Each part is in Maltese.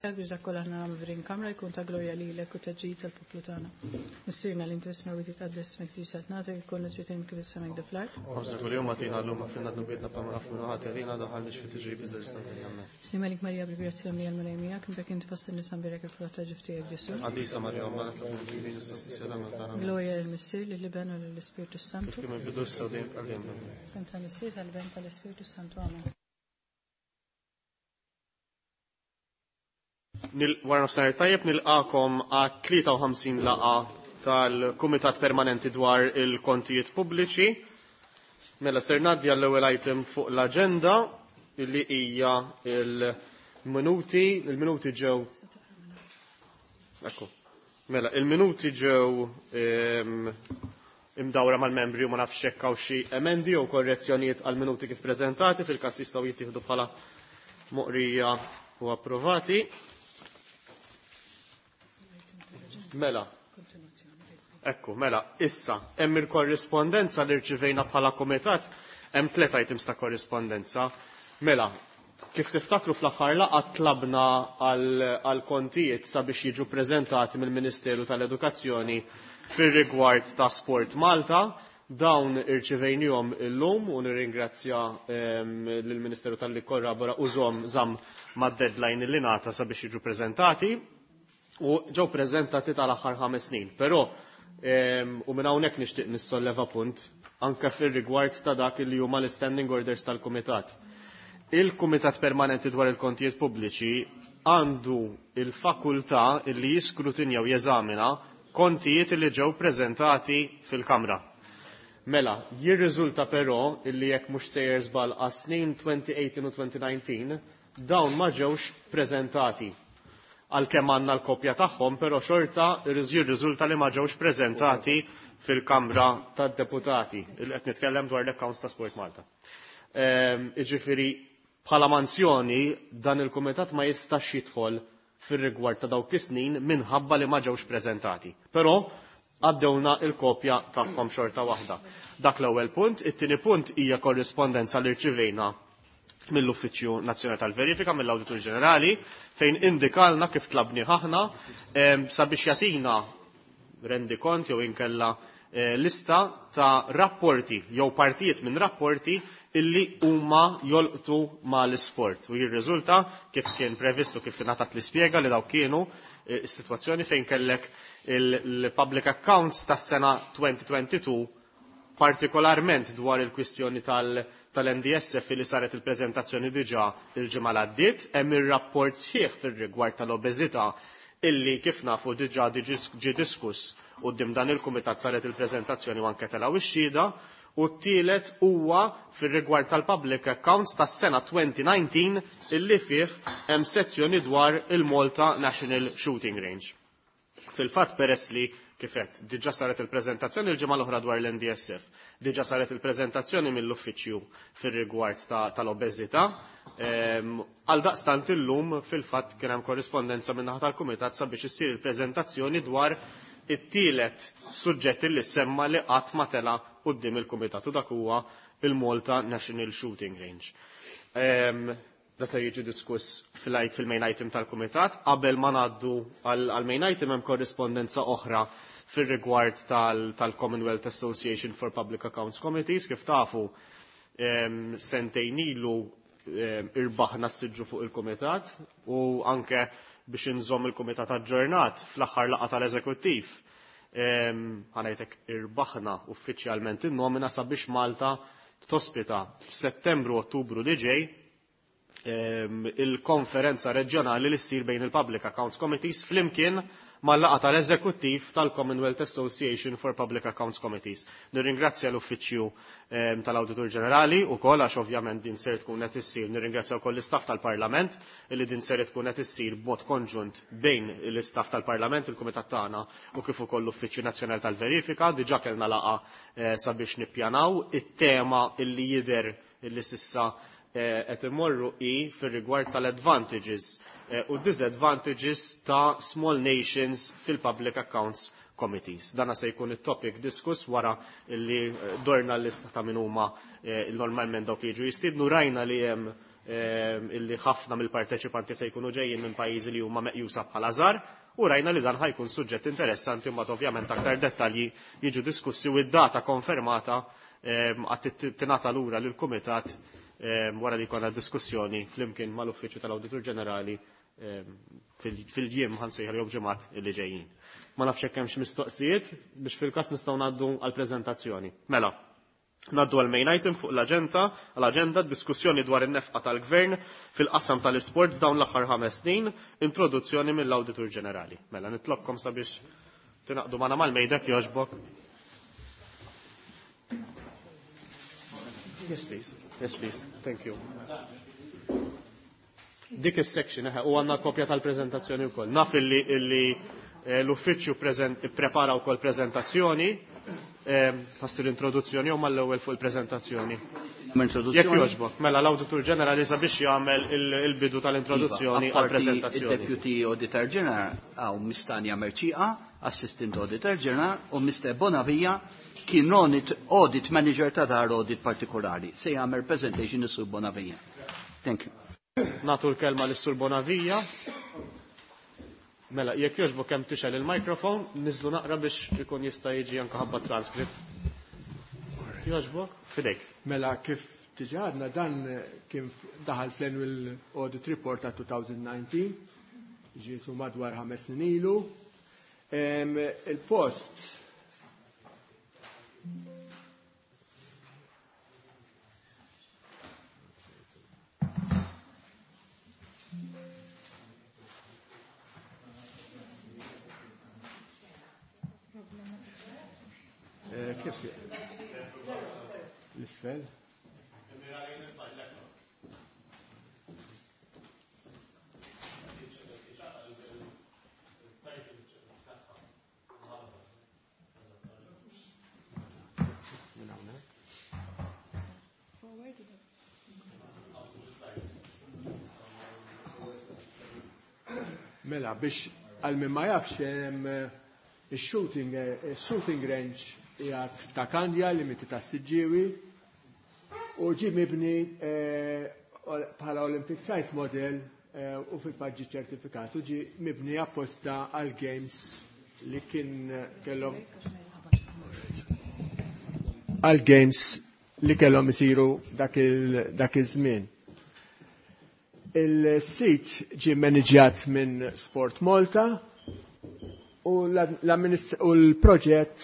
Biex dak kollha aħna nagħmlu f'din kamra jkun ta' glorja lilek u ta' ġid tal-poplu tagħna. Missierna li inti fis-smewwiet titqaddes ismek tiġi saltnatek ikun li kif is-sema hekk fl-art. Ħobżna kuljum agħtina llum aħfrilna dnubietna bħalma naħfru ħati għalina daħalniex fit-tiġrib iżda ġisna minna. Amen. Sliem għalik Marija bil-grazzja mlija l-Mulej miegħek, imbierek inti fost in-nisa mbierek il-frott ta' ġuf tiegħek Ġesù. Qaddisa Marija Omm Alla tlob għalina issa tagħna. Glorja lill-Missier, lill-Iben u lill-Ispirtu Santu. Kif kien mill-bidu issa u dejjem għal dejjem. Amen. Sem tal-Missier, tal-Iben, tal-Ispirtu Santu. Amen. Wara nofsinhar tajjeb nilqakom għat 53 laqa tal-Kumitat Permanenti dwar il-Kontijiet Pubbliċi. Mela ser ngħaddi għall-ewwel item fuq l-aġenda illi hija il-minuti, il-minuti ġew Ekku. Mela, il-minuti ġew imdawra mal-membri u ma nafx hekk hawn xi emendi jew korrezzjonijiet għall-minuti kif preżentati fil-każ jistgħu jittieħdu bħala moqrija u approvati. Mela. Ekku, mela, issa, hemm il-korrispondenza li rċivejna bħala komitat, hemm tliet items ta' korrispondenza. Mela, kif tiftakru fl-aħħar laqgħa tlabna għal kontijiet sabiex jiġu preżentati mill-Ministeru tal-Edukazzjoni fir-rigward ta' Sport Malta. Dawn irċivejnihom illum u nirringrazzja lill-Ministeru talli kkorrabora u żomm żamm mad-deadline li ngħata sabiex jiġu preżentati u ġew preżentati tal-aħħar 5 snin. Però u minn hawnhekk nixtieq nissolleva punt anke fir-rigward ta' dak li huma l-standing orders tal-Kumitat. Il-Kumitat Permanenti dwar il-Kontijiet Pubbliċi għandu il-fakultà li jiskrutinja u jeżamina kontijiet li ġew preżentati fil-Kamra. Mela, jirriżulta però illi jekk mhux sejjer żball għas-snin 2018 u 2019 dawn ma ġewx preżentati. Għalkemm għandna l-kopja tagħhom, però xorta jirriżulta li ma ġewx preżentati fil-Kamra tad-Deputati. Qed nitkellem dwar l-accounts ta' Sport Malta. Jiġifieri bħala manzjoni dan il-kumitat ma jistax jidħol fir-rigward ta' dawk is-snin minħabba li ma ġewx preżentati. Però għaddewna il-kopja tagħhom xorta waħda. Dak l-ewwel punt, it-tieni punt hija korrispondenza li rċivejna mill-Uffiċċju Nazzjonali tal-Verifika, mill-Awditur Ġenerali, fejn indikalna kif tlabni aħna sabiex jagħtina rendikont jew inkella lista ta' rapporti jew partijiet minn rapporti illi huma jolqtu mal-isport. U jirriżulta kif kien previstu kif ingħatat l-ispjega li daw kienu is-sitwazzjoni fejn kellek il-public accounts tas-sena 2022 partikolarment dwar il-kwistjoni tal-NDSF li saret il-preżentazzjoni diġà il-ġimgħa l-għaddiet, hemm ir-rapport sħiħ fir-rigward tal-obeżità illi kif nafu diġà ġie diskuss quddiem dan il-kumitat saret il-preżentazzjoni u anke telgħu ix-xhieda, u t-tielet huwa fir-rigward tal-public accounts tas-sena 2019 illi fih hemm sezzjoni dwar il-Malta National Shooting Range. Fil-fatt peress li kifet, diġà saret il-preżentazzjoni l-ġimgħa l-oħra dwar l-NDSF, diġà saret il-preżentazzjoni mill-uffiċċju fir-rigward tal-obeżità, għal daqstant illum fil-fatt kien hemm korrispondenza min-naħa tal-kumitat sabiex issir il-preżentazzjoni dwar it-tielet suġġett li semma li qatt ma tela' quddiem il-kumitat u dak huwa il-Malta National Shooting Range. Da se jiġi diskuss fil-main item tal-kumitat. Qabel ma ngħaddu għal-main item hemm korrispondenza oħra fir-rigward tal-Commonwealth Association for Public Accounts Committees. Kif tafu sentejn ilu irbaħna s-siġġu fuq il-kumitat u anke biex inżomm il-kumitat aġġornat fl-aħħar laqgħa tal-eżekuttiv ħanajtek irbaħna uffiċjalment in-nomina sabiex Malta tospita f'Settembru Ottubru li ġej il-konferenza reġjonali li ssir bejn il-Public Accounts Committees flimkien mal-laqgħa tal-Eżekuttiv tal-Commonwealth Association for Public Accounts Committees. Nirringrazzja l-Uffiċċju tal-Awditur Ġenerali wkoll għax ovvjament din ser tkun qed issir, nirringrazzja wkoll l-istaff tal-Parlament li din ser tkun qed issir b'mod konġunt bejn l-istaff tal-Parlament, il-Kumitat tagħna u kif ukoll l-Uffiċċju Nazzjonali tal-Verifika. Diġà kellna laqgħa sabiex nippjanaw it-tema illi jidher illi sissa qed imorru hi fir-rigward tal-advantages u disadvantages ta' small nations fil-Public Accounts Committees. Dana se jkun it-topic diskuss wara li dorna l-lista ta' min huma normalment dawk li jiġu jistiednu. Rajna li hemm Illi ħafna mill-parteċipanti se jkunu ġejjin minn pajjiżi li huma meqjusa bħala żgħar u rajna li dan ħa jkun suġġett interessanti, mbagħad ovvjament aktar dettalji jiġu diskussi u id-data konfermata għad tingħata lura lill-kumitat wara li jkollna diskussjoni flimkien mal-Uffiċċju tal-Awditur Ġenerali fil-jiem, ħa nsejħu, jew ġimgħat li ġejjin. Ma nafx hekk hemmx mistoqsijiet biex fil-każ nistgħu ngħaddu għall-preżentazzjoni. Mela, ngħaddu għal main item fuq l-agenda, diskussjoni dwar in-nefqa tal-gvern fil-qasam tal-isport f'dawn l-aħħar 5 snin, introduzzjoni mill-Awditur Ġenerali. Mela, nitlobkom sabiex tingħaqdu magħna mal-mejda, jogħġbok. Yes, please. Yes, please. Thank you. Dik is-section, u għandna kopja tal-preżentazzjoni wkoll. Naf illi l-uffiċċju prepara wkoll preżentazzjoni, passir introduzzjoni u mal-ewwel fuq il-preżentazzjoni. Jekk jogħġbok, mela l-Awditur Ġenerali sabiex jagħmel il-bidu tal-introduzzjoni iva, għall-preżentazzjoni. Il-Deputy Auditor General għaw Miss Tania Mercieca, Assistant Auditor General, u Mr. Bonavia kien audit manager ta' dar audit partikolari. Se jagħmel presentation is-Sur Bonavia. Thank you. Nagħtu l-kelma lis-Sur Bonavia. Mela, jekk jogħġbok kemm tixgħel il-mikrofon, niżlu naqra biex ikun jista' jiġi anke ħabba transcript. Jogħġbok, fidejk. Mela, kif diġà għedna, dan kien daħal fl-annual audit report ta' 2019, ġisu madwar 5 snin ilu. Il-post kif l-isfel? Minn hawnhekk. Forward. Mela, biex għal min ma jafx, hemm il-shooting range qiegħed ta' Kandja, limiti ta' Siġġiewi, u ġi mibni bħala Olympic Size Model u fil-fatt ġi ċertifikat u ġi mibni apposta għal Games li kien kellhom għal Games li kellhom isiru dak il-żmien. Il-sit ġi maniġjat minn Sport Malta u l-proġett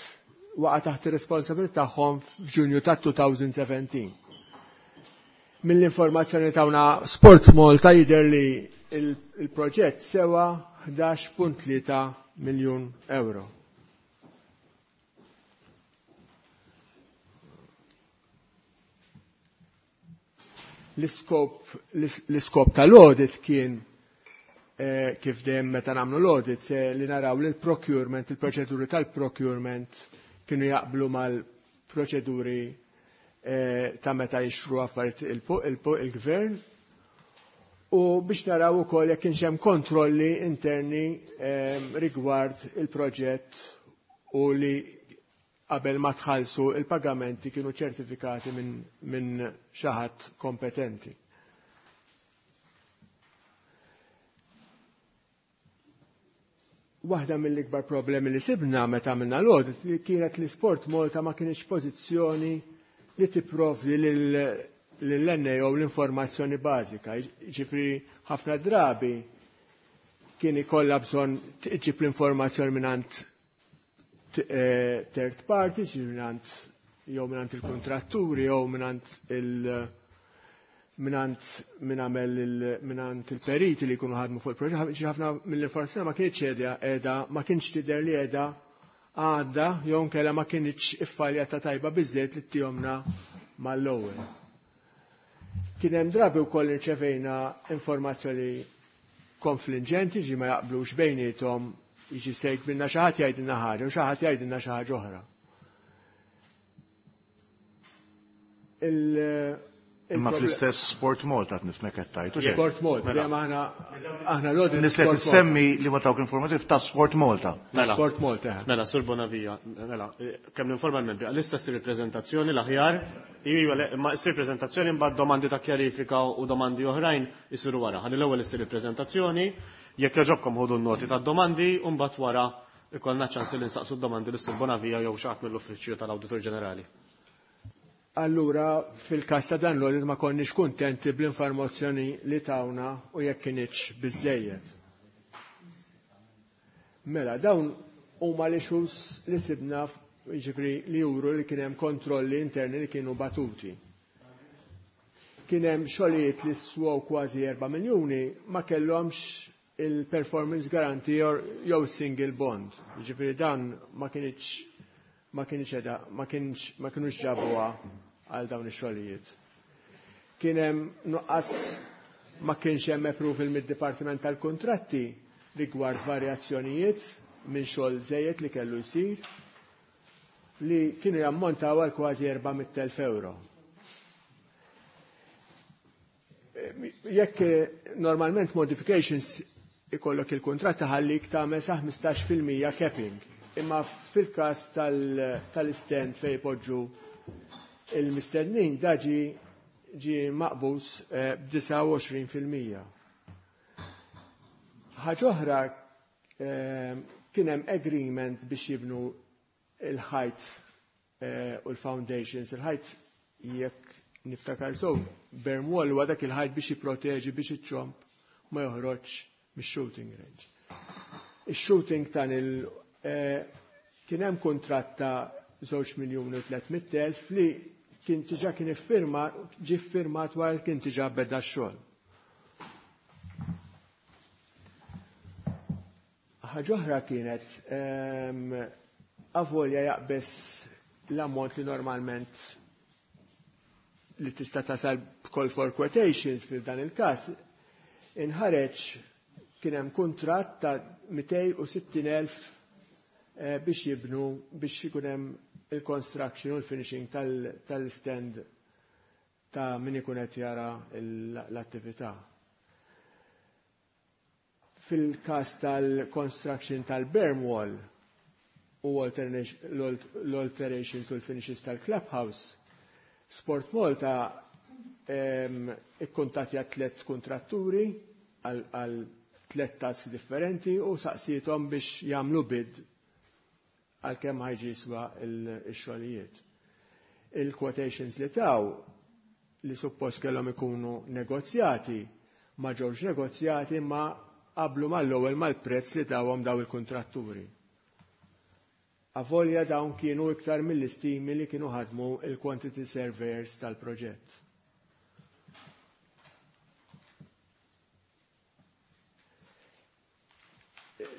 waqa' taħt ir-responsabilità tagħhom f'Ġunju ta' 2017. Mill-informazzjoni tawna Sport Malta jidher li il-proġett sewa 11.3 miljun euro. L-iskop tal-audit kien kif dejjem meta nagħmlu l-audit se li naraw li l-procurement, il-proċeduri tal-procurement kienu jaqblu mal-proċeduri ta' meta jixtru affarijiet il-gvern u biex naraw ukoll jekk kienx hemm kontrolli interni rigward il-proġett u li qabel ma tħallsu il-pagamenti kienu ċertifikati minn xi ħadd kompetenti. Waħda mill-ikbar problemi li sibna meta għamilna l-audit li kienet li Sport Malta ma kienx pożizzjoni li tipprovdi lill-NAO l-informazzjoni bażika. Ġifri ħafna drabi kien ikollha bżonn tġib l-informazzjoni mingħand third party, ġifri mingħand jew mingħand il-kontratturi jew mingħand min għamel mingħand il-periti li jkunu ħadmu fuq il-proġett, ġi ħafna mill-informazzjoni ma kienx qiegħda, ma kienx tidher li qiegħda għadda jew nkella ma kienx iffaljata tajba biżejjed li ttihomlna mal-ewwel. Kien hemm drabi wkoll irċevejna informazzjoni konfliġġenti, ġi ma jaqblux bejniethom, jiġi sejk minna xi ħadd jgħidilna ħaġa u xi ħadd jgħidilna xi ħaġa oħra. Imma fl-istess Sport Malta qed nifhmek qed tgħid. Sport Malta, dejjem aħna aħna l-audit. Nies li tissemmi li ma tawk informativ ta' Sport Malta. Mela. Sport Malta. Mela, Sur Bonavia, mela, kemm ninforma l-membri, għalissa ssir il-preżentazzjoni l-aħjar, iva, ma ssir preżentazzjoni mbagħad domandi ta' kjarifika u domandi oħrajn isiru wara. Ħalli l-ewwel issir il-preżentazzjoni, jekk jogħġobkom ħudu n-noti tad-domandi u mbagħad wara ikollna ċans li nsaqsu d-domandi lis Sur Bonavia jew xi ħadd mill-Uffiċċju tal-Awditur Ġenerali. Allura, fil-kas ta' dan l-audit ma konniex kuntenti bl-informazzjoni li tawna u jekk kinitx biżejjed. Mela, dawn huma l-issues li sibna, jiġifieri li juru li kien hemm kontrolli interni li kienu batuti. Kien hemm xogħlijiet li swew kważi 4 miljuni ma kellhomx il-performance guarantee jew single bond. Jiġifieri dan ma kienx edha, ma kienux ġabuha għal dawn ix-xogħlijiet. Kien hemm nuqqas, ma kienx hemm approval mid-Dipartiment tal-Kuntratti rigward varjazzjonijiet minn xogħol żejjed li kellu jsir li kienu jammontaw għal kważi 400,000 euro. Jekk normalment modifications ikollok il-kuntratt taħallik tagħmel sa 15% capping. Imma fil-każ tal-stand fejn poġġu il-mistednin da ġi maqbus b'29%. Ħaġa oħra, kien hemm agreement biex jibnu il-ħajt u l-foundations. Il-ħajt, jekk niftakar so, berm wall huwa dak il-ħajt biex jipproteġi biex iċ-ċomb ma joħroġ mix-shooting range. Ix-shooting tan il kien hemm kuntratt ta' 2,300,000 li kien diġà kien iffirma ġie ffirmat wara kien diġà beda x-xogħol. Ħaġa oħra kienet avolja jaqbes l-ammont li normalment li tista' tasal call for quotations, fil dan il-każ inħareġ kien hemm kuntratt ta' 260,000 biex jibnu, biex ikun hemm il-construction u l-finishing tal-stand ta' min ikun qed jara l-attività. Fil-każ tal-construction tal-berm wall u l-alterations u l-finishes tal-clubhouse, Sport Malta ikkuntatja tliet kontratturi għal tliet tasks differenti u saqsietom biex jagħmlu bid għal kemm ħa jiġi jiswa il-xogħlijiet. Il-quotations li taw, li suppost kellhom ikunu negozjati, ma ġewx negozjati, ma qablu mal-ewwel mal-prezz li tawhom daw il-kontratturi. Avolja dawn kienu iktar mill-istimi li kienu ħadmu il-quantity surveyors tal-proġett.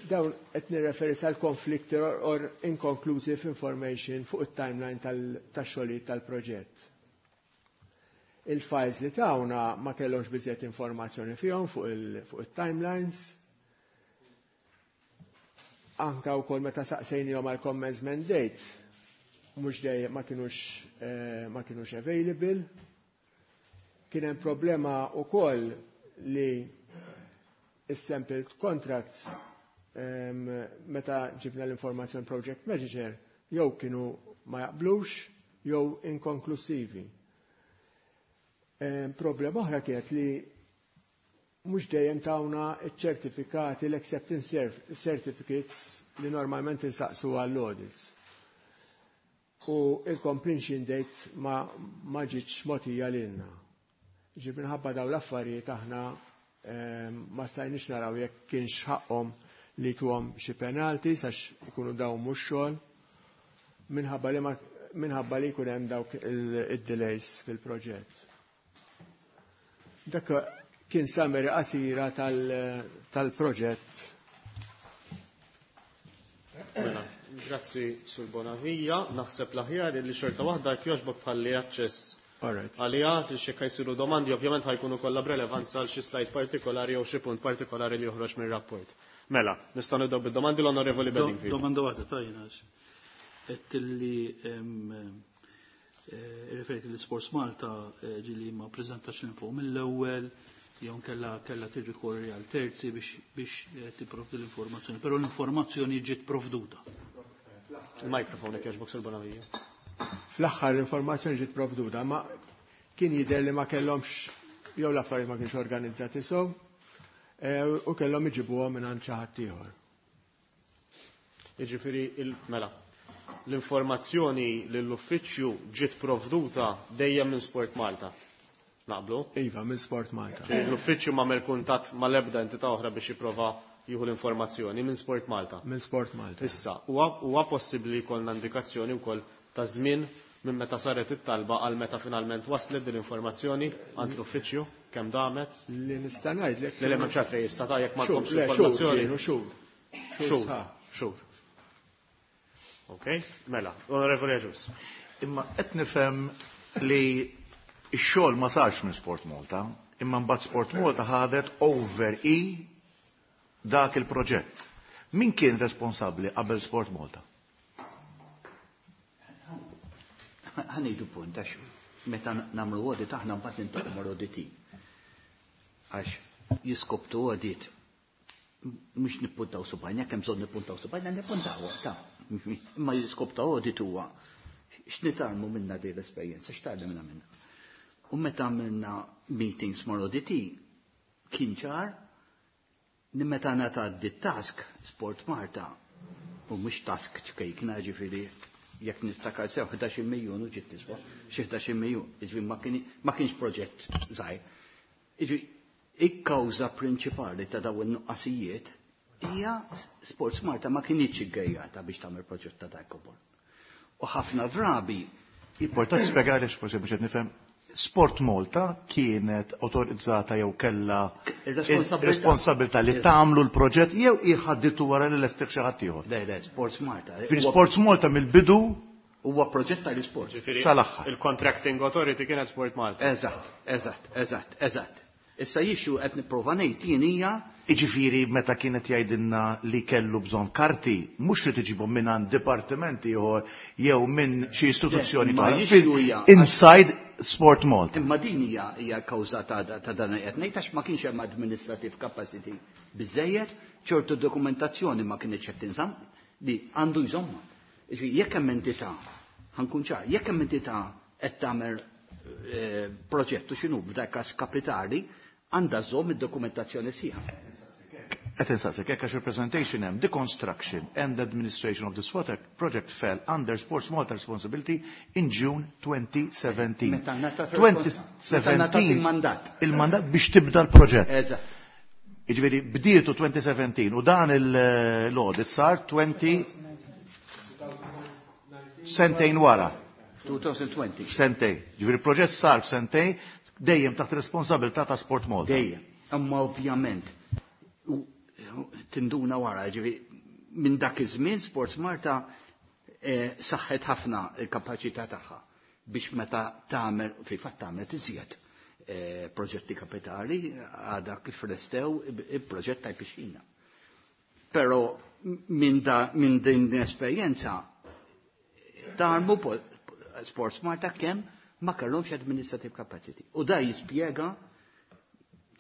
Dawn qed nirreferi sal-conflict or inconclusive information fuq it-timeline tax-xogħlijiet tal-proġett. Il-files li tawna ma kellhomx biżjed informazzjoni fihom fuq il-timelines. Anka wkoll meta saqsejnihom għal commencement date, mhux dejjem ma kinux available. Kien hemm problema wkoll li is-sample contracts, meta ġibna l-informazzjoni project manager, jew kienu ma jaqblux jew inkonklusivi. Problema oħra kienet li mhux dejjem tawna ċ-ċertifikati, l-acceptance certificates li normalment insaqsu għall-audits. U il-completion date ma ġietx mogħtija lilna. Ġib minħabba daw l-affarijiet aħna ma stajniex naraw jekk kienx ħaqhom li tuhom xi penalti sax ikunu daw mhux xogħol minħabba li jkun hemm dawk il-delays fil-proġett. Dak kien summary qasira tal-proġett. Mela, grazzi Sur Bonavija, naħseb l-aħjar li xorta waħda jekk jogħġbok tħalli aċċess għalija li xi jsiru domandi, ovvjament ħa jkunu kollha b'relevanza għal xi slide partikolari jew xi punt partikolari li joħroġ mir-rapport. Mela, nistgħu nibdew bid-domandi, l-Onorevoli Bedingfield. Domanda waħda tajna. Qed li Referiti li Sports Malta ġili ma prezentax l-info mill-ewwel, jew kella tirrikorri għal terzi biex tipprovdi l-informazzjoni, però l-informazzjoni ġiet provduta. Il-mikrofon jekk jogħġbok Sur Bonavija. Fl-aħħar l-informazzjoni ġiet provduta, ma kien jidher li ma kellhomx jew l-affarijiet ma kienx organizzati sew u kellhom iġibuhom minn għand xi ħadd ieħor. Jiġifieri mela, l-informazzjoni lill-uffiċċju ġiet provduta dejjem minn Sport Malta. Naqblu? Iva, minn Sport Malta. L-uffiċċju m'għamel kuntatt mal-ebda entità oħra biex jipprova jieħu l-informazzjoni minn Sport Malta. Minn Sport Malta. Issa, huwa possibbli jkollna indikazzjoni wkoll ta' żmien minn meta saret it-talba għal meta finalment waslet din l-informazzjoni għand l-uffiċċju, kemm damet? Li nista' ngħidlek. Le, le, m'hemmx għalfejn issa ta' jekk m'għandkomx Xhur, le, xhur l-informazzjoni. kienu, xhur. Xhur Xhur, sħaħ. xhur. Ok, mela, Onorevoli Agius. Imma qed nifhem li x-xogħol ma sarx minn Sport Malta, imma mbagħad Sport Malta ħadet over i dak il-proġett. Min kien responsabbli qabel Sport Malta? Ħa ngħidu punt, għax meta nagħmlu audit aħna mbagħad nintaqgħu mal-auditi. Għax jiskoptu audit mhux nippuntaw subajna, kemm bżonn nippuntaw subajna, nippuntaw, ta' imma jiskoptu audit huwa x'nitarmu minna din l-esperjenza, x'tgħallimna minna. U meta għamilna meetings mal-auditi, kien ċar li meta ngħata task Sport Malta, u mhux task ċkejkna ġifieri jekk niftakar sew 11 miljun u ġiet tiswa, xi 11 miljun, jiġifieri ma kienx proġett żgħir. Jiġifieri il-kawża prinċipali ta' dawn in-nuqqasijiet hija Sports Malta ma kinitx iggejjata biex tagħmel proġett ta' dak kobor. U ħafna drabi Importa spjegari forsi biex qed nifhem. Sport Malta kienet autorizzata jew kellha Ir-responsabilità. responsabilità li tagħmlu l-proġett jew iħadditu wara li lestih xi ħadd ieħor. Le, le, Sports Malta. Fi Sports Malta mill-bidu huwa proġett tal-isport. Ġifieri, Sal-aħħar. Il-Contracting Authority kienet Sport Malta. Eżatt, eżatt, eżatt, eżatt. Issa jixu qed nipprova ngħid jien hija Iġifieri meta kienet jgħidilna li kellu bżonn karti, mhux li tiġibhom minn għand dipartiment ieħor jew minn xi istituzzjoni Le, ma oħra. jixu hija Inside Sport Malta. Imma din hija kawża ta' dan qed ngħid għax ma kienx hemm administrative capacity biżejjed, ċertu dokumentazzjoni ma kienx qed tinżamm li għandu jżomma. Jiġifieri jekk hemm entità, ħa nkun ċar, jekk hemm entità qed tagħmel proġett u x'inhu b'dak każ kapitali, għandha żomm id-dokumentazzjoni sħiħa. Qed insaqsik hekk għax il-presentation hemm the construction and administration of this water project fell under Sports Malta responsibility in June 2017. Meta ngħatat meta ngħatat il-mandat. Il-mandat biex tibda l-proġett. Eżatt. Jiġifieri bdietu 2017 u dan l-audit sar 20 sentejn wara. 2020. Sentejn. Jiġifieri il-proġett sar f'sentejn dejjem taħt responsabilità ta' Sport Malta. Dejjem. Imma ovvjament u tinduna wara, ġifieri minn dak iż-żmien Sports Malta saħħet ħafna il-kapaċità tagħha biex meta tagħmel fil-fatt tagħmel iżjed proġetti kapitali għadha kif restew il-proġett tal-pixxina. Però minn din l-esperjenza tarmu Sports Malta kemm ma kellhomx administrative capacity. U da jispjega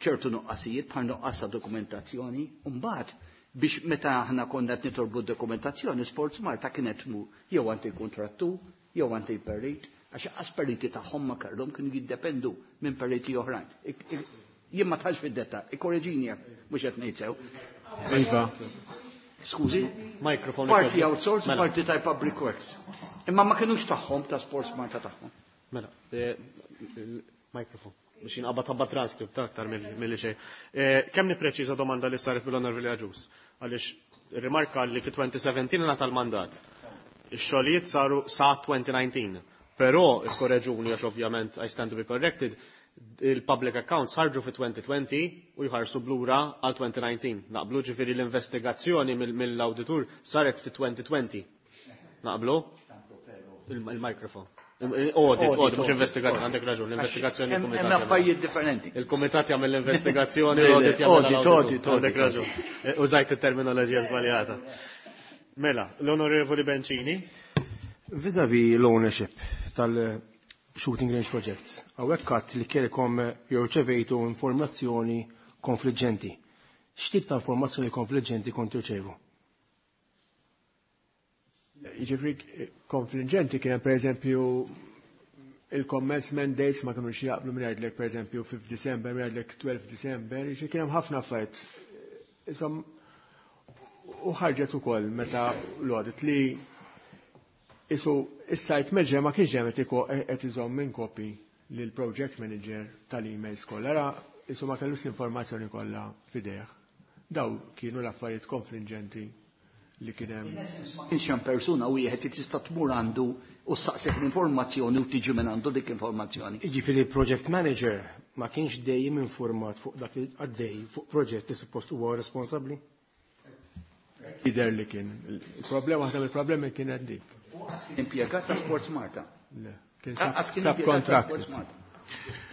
ċertu nuqqasijiet bħal nuqqas ta' dokumentazzjoni, u mbagħad biex meta aħna konna qed nitolbu dokumentazzjoni, Sports Malta kienet mu jew għand il-kontrattu, jew għand il-perit, għax qas periti tagħhom ma kellhom kienu jiddependu minn periti oħrajn. Jien ma tħallx fid-detta, ikkoreġini jekk mhux qed ngħid sew. Iva. Skużi? Microphone. Parti outsource, Mela. parti tal Public Works. Imma ma kinux tagħhom ta' Sports Malta tagħhom. Mela, il-mikrofon. Biex jinqabad tabba transcript ta' aktar mill-li xejn. Kemm nippreċiża domanda li saret mill-Onorevoli Agius? Għaliex rimarka li fi 2017 ngħata l-mandat. Ix-xogħlijiet saru sa 2019. Però ikkoreġuni għax ovvjament I stand to be corrected, il-public accounts ħarġu fi 2020 u jħarsu blura għal 2019. Naqblu ġifieri l-investigazzjoni mill-auditur saret fi 2020. Naqblu? Il-mikrofon. Audit, audit, mhux investigazzjoni, għandek raġun, l-investigazzjoni Hemm il-kumitat hemm jagħmel. affarijiet differenti. Il-kumitat jagħmel l-investigazzjoni, Le, le, l-audit jagħmel audit, l-auditur. audit, audit. Għandek raġun. Użajt it-terminoloġija żbaljata. Mela, l-Onorevoli Bencini. Vis-a-vis l-ownership shooting range projects. Hawnhekk għadt li kelkom jew rċevejtu informazzjoni konfliġġenti. X'tip ta' informazzjoni konfliġġenti kont tirċevu? Jiġifieri konfliġġenti kien hemm pereżempju il-commencement dates ma kinux jaqblu minn jgħidlek pereżempju 5 December, minn jgħidlek 12 December, jiġifieri kien hemm ħafna affarijiet. Isom u ħarġet ukoll meta l-audit li isu is-site manager ma kienx hemm qed iżomm minn copy lil project manager tal-emails kollha. Ara isu ma kellux l-informazzjoni kollha f'idejh. Daw kienu l-affarijiet konfliġġenti li kien hemm. Ma kienx hemm persuna wieħed li tista' tmur għandu u ssaqsek l-informazzjoni u tiġi minn għandu dik informazzjoni. Jiġifieri project manager ma kienx dejjem informat fuq dak li għaddej fuq proġett li suppost huwa responsabbli? Jidher li kien. Il-problema waħda mill-problemi kienet dik. Impjegat ta' Sports Malta. Le, kien Lanqas kien impjegat ta' subcontracted. Sports Malta.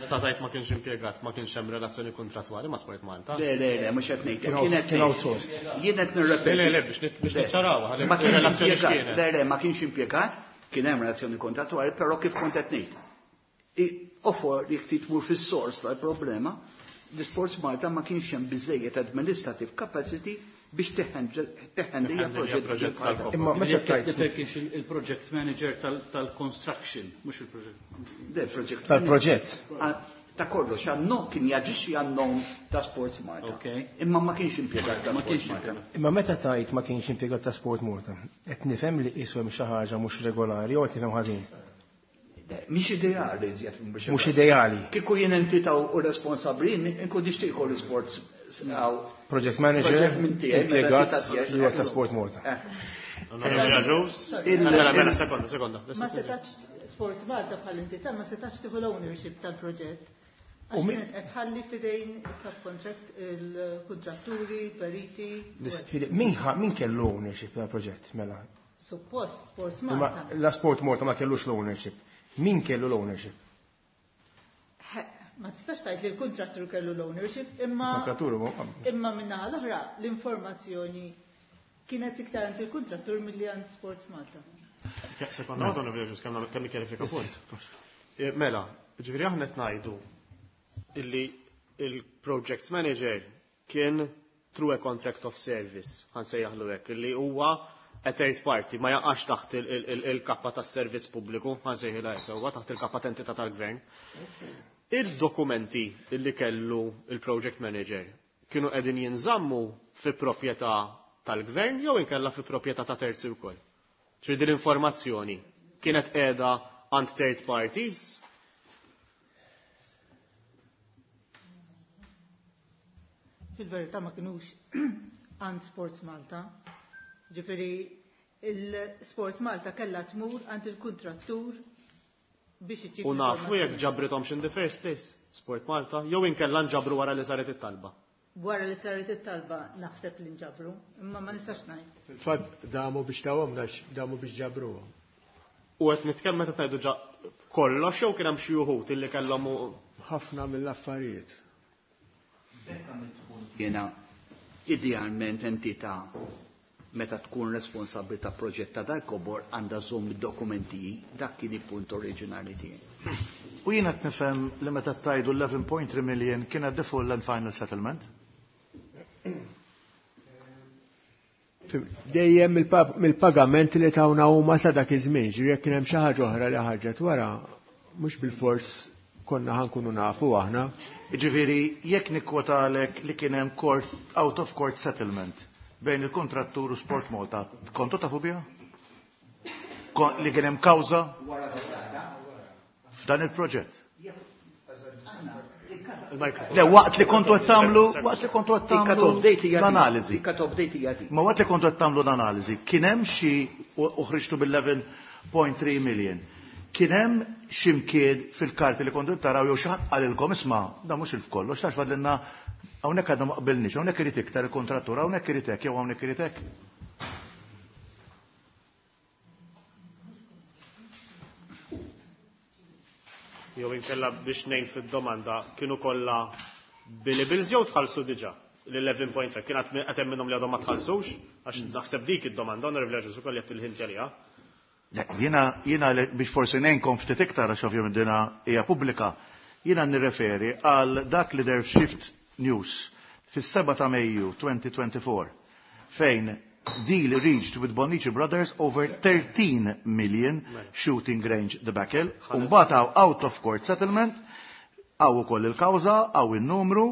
Meta tajt ma kienx impjegat, ma kienx hemm relazzjoni kontrattwali ma' Sport Malta. Le, le, le, mhux qed ngħid. Kien Kien qed kien ngħid. outsourced. Jien qed nirrepeti. Le, le, le, biex niċċaraw, ħalli Ma kienx relazzjoni impjegat. x'kienet. Le, le, ma kienx impjegat, kien hemm relazzjoni kontrattwali, però kif kont qed ngħid. Ofor jekk trid tmur fis-sors tal-problema, l-Sports Malta ma kienx hemm biżejjed administrative capacity biex teħendija proġett proġett tal-kop. Imma meta Jekk tajt kienx il-project manager tal-construction, mhux il-project. Le, project tal-proġett. Ta' kollox, għannom kien jaġixxi għannom ta' Sports Malta. Ok. Imma ma kienx impjegat ta' Ma Sports kienx Malta. impjegat. Imma meta tajt ma kienx impjegat ta' Sport Malta, qed nifhem li qisu hemm xi ħaġa mhux regolari jew qed nifhem ħażin. Mhix ideali iżjed mhux Mhux ideali. Kieku jien entità u responsabbli, inkun nixtieq kollu sports għaw. Project manager Project minn tiegħi, minn impjegat entità tiegħi. li huwa ta' Sport Malta. Onorevoli Agius? Il- Mela, mela, sekonda, sekonda. Ma setax Sports Malta bħal entità ma setax tieħu l-ownership tal-proġett. U Għax min- kienet qed ħalli f'idejn subcontract il-kontratturi, periti. Min min kellu ownership tal-proġett mela? Suppost Sports Imma Malta. la Sport Malta ma kellux l-ownership. Min kellu l-ownership? Ma tistax tgħid li l-kontrattur kellu l-ownership, imma Kontrattur huwa imma minnaħa l-oħra l-informazzjoni kienet iktar għand il-kontrattur milli għand Sports Malta. Sekonda, Onorevoli Agius, kemm kjarifika punt. Mela, ġifieri aħna qed ngħidu illi il-project manager kien through a contract of service, ħansejjaħlu hekk, illi huwa a third party, ma jaqax taħt il-kappa tas-servizz pubbliku, ħansejħilha hekk sewwa taħt il-kappa ta' tal-gvern. Il-dokumenti illi kellu il-project manager kienu qegħdin jinżammu fi proprjetà tal-gvern jew inkella fi proprjetà ta' terzi wkoll. Ġifieri din l-informazzjoni kienet qiegħda għand third parties Fil-verità ma kinux għand Sports Malta. Ġifieri il-Sports Malta kellha tmur għand il-kontrattur biex iġib U nafu jekk l-informazzjoni. ġabrithomx in the first place, Sport Malta, jew inkella nġabru wara li saret it-talba. Wara li saret it-talba naħseb li nġabru, imma ma nistax ngħid. Fil-fatt damu biex tawhom għax damu biex ġabruhom. U qed nitkellem meta ngħidu ġa kollox jew kien hemm xi wħud illi kellhom Ħafna mill-affarijiet. Jiena idealment entità meta tkun responsabbli ta' proġett ta' dal-kobor għandha żomm id-dokumenti, dak kien il-punt oriġinali tiegħi. U jiena qed nifhem li meta tajdu 11.3 million kienet the full and final settlement. Dejjem mill-pagamenti li tawna huma sa dak iż-żmien, ġifieri jekk kien hemm xi ħaġa oħra li ħarġet wara, mhux bil-fors konna ħankunu nafu aħna. Jiġifieri jekk nikkwotalek li kien hemm court out of court settlement bejn il-kontrattur u Sport Malta, kontu tafu biha? Li kien hemm kawża f'dan il-proġett. Le, waqt li kontu qed tagħmlu, waqt li kontu qed tagħmlu Il-cut-off date hija dik. l-analiżi. Il-cut-off date hija dik. Ma waqt li kontu qed tagħmlu l-analiżi, kien hemm xi u ħriġtu bil-11.3 million. Kien hemm xi mkien fil-karti li kontu taraw jew xi ħadd qalilkom isma' da mhux il-kollox tax fadlilna hawnhekk għadna ma qbilniex, hawnhekk irid iktar il-kontrattur, hawnhekk irid hekk jew hawnhekk irid hekk. Jew inkella biex ngħin fid-domanda kienu kollha billables jew tħallsu diġà l-11.5 kien qed hemm minnhom li għadhom ma tħallsux għax naħseb dik id-domanda Onorevoli Agius ukoll qed il-ħint għaliha. Jiena biex forsi ngħinkom ftit iktar għax ovvjament dina hija pubblika, jiena nirreferi għal dak li der Shift News fis-7 ta' Mejju 2024 fejn deal reached with Bonnici Brothers over 13 million shooting range debacle, u mbagħad hawn out of court settlement, hawn ukoll il-kawża, hawn il-numru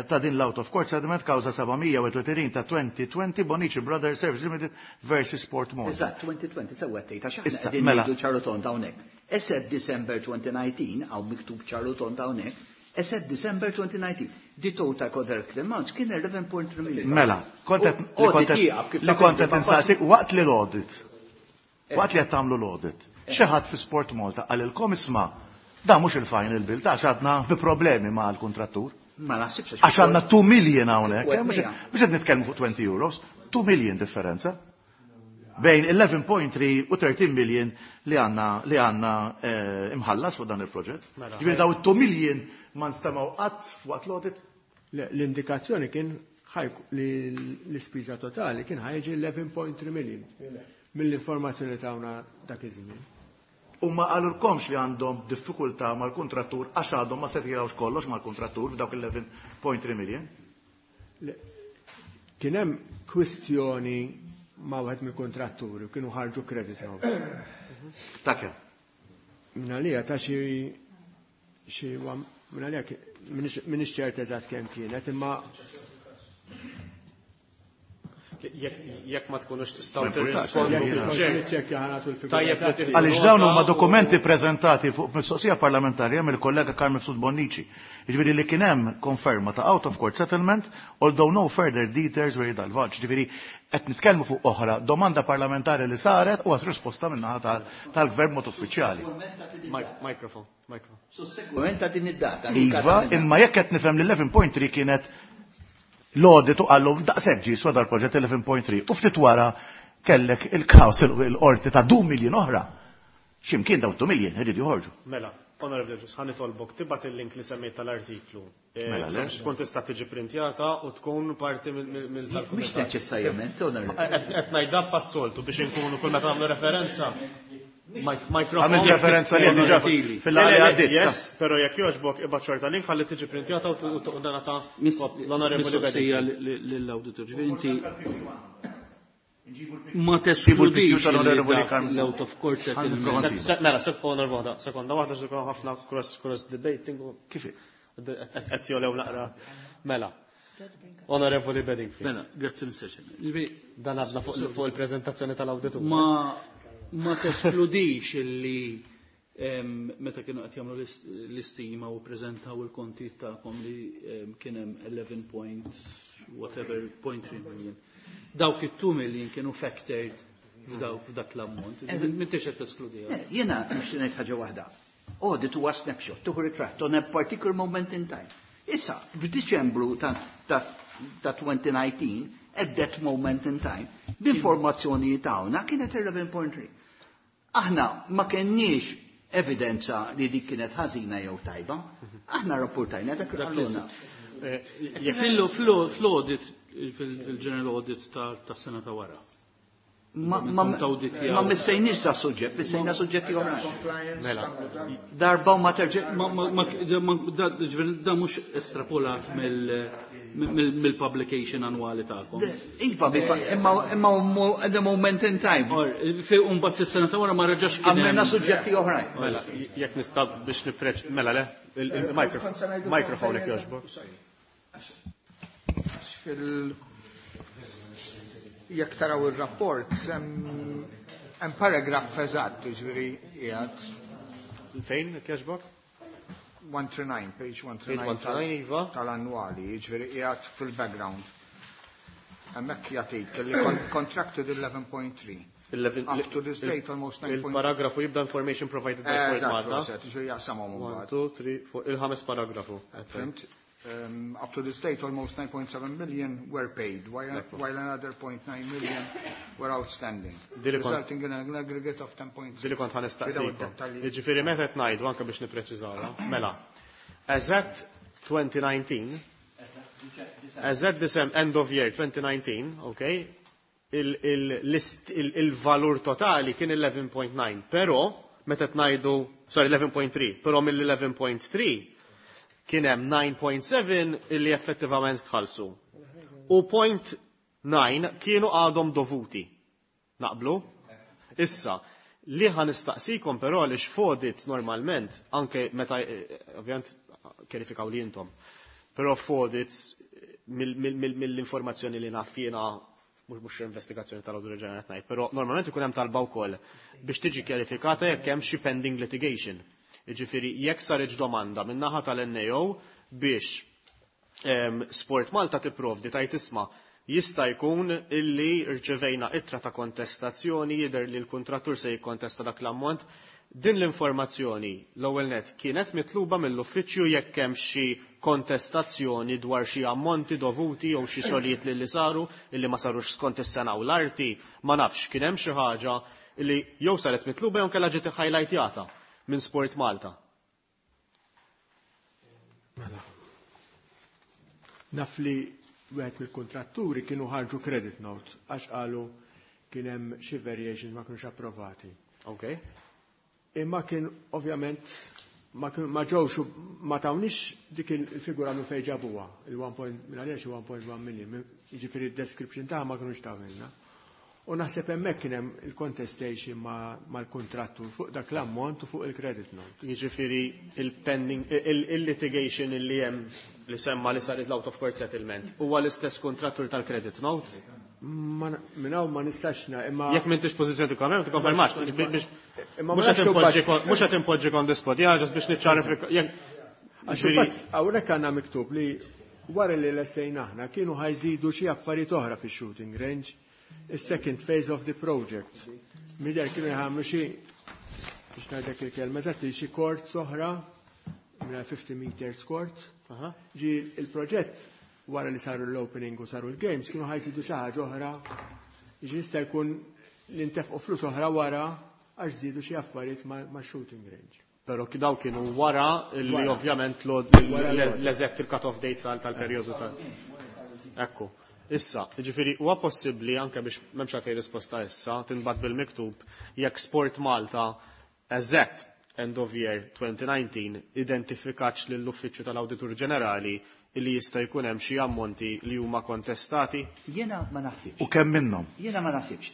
ta' din l-out of court settlement, kawża 731 ta' 2020 Bonnici Brothers Service Limited versus Sport Malta. Eżatt, 2020, sewwa tgħid, għax aħna Issa, qegħdin mela. ngħidu ċar u tond hawnhekk. As at December 2019, hawn miktub ċar u tond hawnhekk, as at December 2019, the total contract amount kien 11.3 million. Mela, kont qed- U li kont audit jieqaf kif li taf kont inti, qed ma insaqsik waqt li l-audit. Waqt li qed tagħmlu l-audit. Xi ħadd fi Sport Malta qalilkom isma' da mhux il-final bill ta' għax għadna bi problemi mal-kuntrattur. Ma naħsibx Għax għandna 2 million hawnhekk, U mhux għednija. mhux qed nitkellmu fuq 20 euros, 2 million differenza. Bejn 11.3 u 13 million li għandna imħallas fuq dan il-proġett. Mela, Ġifieri daw 2 million ma nstemgħu qatt waqt l-audit. L-indikazzjoni kien li l-ispiża totali kien ħa jiġi 11.3 million mill-informazzjoni tawna dak iż-żmien. U ma qalulkomx li għandhom diffikultà mal-kuntrattur għax għadhom ma settilawx kollox mal-kuntrattur f'dawk 11.3 million? Kien hemm kwistjoni ma' wieħed mill-kontratturi u kienu ħarġu credit note. Ta' kemm? Minn għalija ta' xi minn għalija m'iniex ċert eżatt kemm kienet, imma Jekk ma tkunux tistgħu Ma importax, tirrispondu jekk fil-ċert. niċċekkja ħa nagħtu l-figura Tajjeb li eżatti. tieħdu Għaliex dawn huma nota u- dokumenti preżentati fuq mistoqsija parlamentarja mill-kollega Carmen Mifsud Bonnici. Jiġifieri li kien hemm konferma ta' out of court settlement, although no further details were divulged. Jiġifieri qed nitkellmu fuq oħra domanda parlamentari li saret u għas risposta min-naħa tal-gvern mod uffiċjali. Microphone, microphone. Sussekwent ta' din id-data. Iva, imma jekk qed nifhem li 11.3 kienet l-audit u qallhom daqshekk ġie swa dal-proġett 11.3 u ftit wara kellek il-kaws il-qorti ta' 2 million oħra. X'imkien daw 2 million iridu joħorġu. Mela, Honorable Judges, ħa nitolbok tibgħat il-link li semmejt tal-artiklu. Mela, le. Sabiex tkun tista' tiġi printjata u tkun parti mill Mhux tal-kumitat. neċessarjament, Honorable. Qed ngħidha passoltu biex inkunu kull meta nagħmlu referenza. Mikrofon. Għamilt referenza li diġà fil-laqgħa li għaddiet. Yes, però jekk jogħġbok ibgħat xorta link ħalli tiġi printjata u dana ta' l-Onorevoli Mistoqsija Bedingfield. lill-auditor. Ġifieri inti ma Ġibu teskludix l-picture tal-Onorevoli li Carmen. l-out of court settlement. Ħan Mela, sekonda waħda, sekonda waħda xi ħafna cross debating u Kif? qed jolew naqra. Mela. Onorevoli Bedingfield. Mela, grazzi Mr. Chairman. Ġifieri Dan għadna fuq il-preżentazzjoni tal-awditur. Ma teskludix illi meta kienu qed jagħmlu l-istima u preżentaw il-konti tagħkom li kien hemm 11 point whatever point 3 million. Dawk it-2 million kienu factored f'dak l-ammont. M'intix qed teskludiha. Jiena nixtieq ngħid ħaġa waħda. Audit huwa snapshot, tuħu ritratt on a particular moment in time. Issa, f'Diċembru ta' 2019, at that moment in time, l-informazzjoni tagħna kienet 11.3. Aħna ma kenniex evidenza li dik kienet ħażina jew tajba. Aħna rapportajna dak li qalulna. Fil-audit, fil-general audit ta' sena ta' wara. Ma Kont awditjaw. ma missejniex da suġġett, missejna suġġetti oħrajn. Mela. Darba u ma terġa' Ma ġifieri da mhux estrapolat mill-publication annwali tagħkom. Iva, imma at the moment in time. Or, fi mbagħad fis-sena ta' wara ma reġax kien hemm- Għamilna suġġetti oħrajn. Mela, jekk nista' biex nipreċ, mela le, il-microphone jekk jogħġbok. Jekk taraw il-rapport, hemm paragraf eżatt, ġifieri qiegħed Fejn jekk jogħġbok? 139, page Page 139 139, iva. tal-annwali, ġifieri qiegħed fil-background. Hemmhekk jagħtik li contracted 11.3. Up to this date almost 9. Il-paragrafu jibda information provided by Sport Eżatt, Malta. eżatt, ġifieri jaqsamhom 1, imbagħad. 2, 3, 4, il-ħames paragrafu. Fhimt? Up to this date, almost 9.7 million were paid, while another 0.9 million were outstanding, resulting in an aggregate of 10.6. Dili kont ħa nistaqsikom. Without dettalji. Jiġifieri meta qed ngħidu anke biex nippreċiżawha. Mela, as at 2019, as at December, end of year 2019, okay, il-valur totali kien 11.9, però meta ngħidu, sorry, 11.3, però mill-11.3 kien hemm 9.7 illi effettivament tħallsu. U 0.9 kienu għadhom dovuti. Naqblu? Issa, li ħa nistaqsikom però għaliex f'audits normalment, anke meta, ovvjament kjerifikaw li intom, però f'audits mill-informazzjoni li naf jiena, mhux investigazzjoni tal-Awditur Ġenerali ngħid, però normalment ikun hemm talba wkoll biex tiġi kjerifikata jekk hemm xi pending litigation. Jiġifieri jekk saret domanda min-naħa tal-NAO biex Sport Malta tipprovdi tajt isma' jista' jkun illi rċevejna ittra ta' kontestazzjoni, jidher li l-kontrattur se jikkontesta dak l-ammont. Din l-informazzjoni l-ewwel net kienet mitluba mill-uffiċċju jekk hemm xi kontestazzjoni dwar xi ammonti dovuti jew xi xogħlijiet li saru illi ma sarux skont is-sena u l-arti, ma nafx kien hemm xi ħaġa li jew saret mitluba jew kellha ġiet highlightjata minn Sport Malta. Mela. Naf li wieħed mill-kontratturi kienu ħarġu credit note għax qalu kien hemm xi variations ma kienux approvati. Imma kien ovvjament ma ġewx ma tawniex dik il-figura minn fejn ġabuha, il-1 minn għaliex 1.1 million, jiġifieri d-description tagħha ma kinux tawilna. U naħseb hemmhekk kien hemm il-contestation mal-kontrattur fuq dak l-ammont u fuq il-credit note. Jiġifieri il-pending il-litigation li hemm li semma li saret l-out of court settlement huwa l-istess kontrattur tal-credit note? Minn hawn ma nistax imma Jekk m'intix pożizzjoni tikkonferma, tikkonfermax. Mhux qed impoġġi on the spot, ja, biex niċċarifika. Għax hawnhekk għandna miktub li wara li lestejna aħna kienu ħa jżidu xi affarijiet oħra fix-shooting range, is-second phase of the project. Midher kienu jagħmlu xi, biex ngħidlek il-kelma eżatti, xi court oħra, minn 50 meters court. Ġi il-proġett wara li saru l-opening u saru l-games kienu ħa jżidu xi ħaġa oħra. Ġi jista' jkun li ntefqu flus oħra wara għax żiedu xi affarijiet ma' shooting range. Però daw kienu wara li ovvjament l-eżett il-cut-off date tal-perjodu tal. Ekku. Issa, ġifieri, huwa possibbli anke biex m'hemmx għalfejn risposta issa, tinbagħat bil-miktub, jekk Sport Malta eżett end of year 2019 identifikatx lill-Uffiċċju tal-Awditur Ġenerali li jista' jkun hemm xi ammonti li huma kontestati? Jiena ma naħsibx. U kemm minnhom? Jiena ma naħsibx.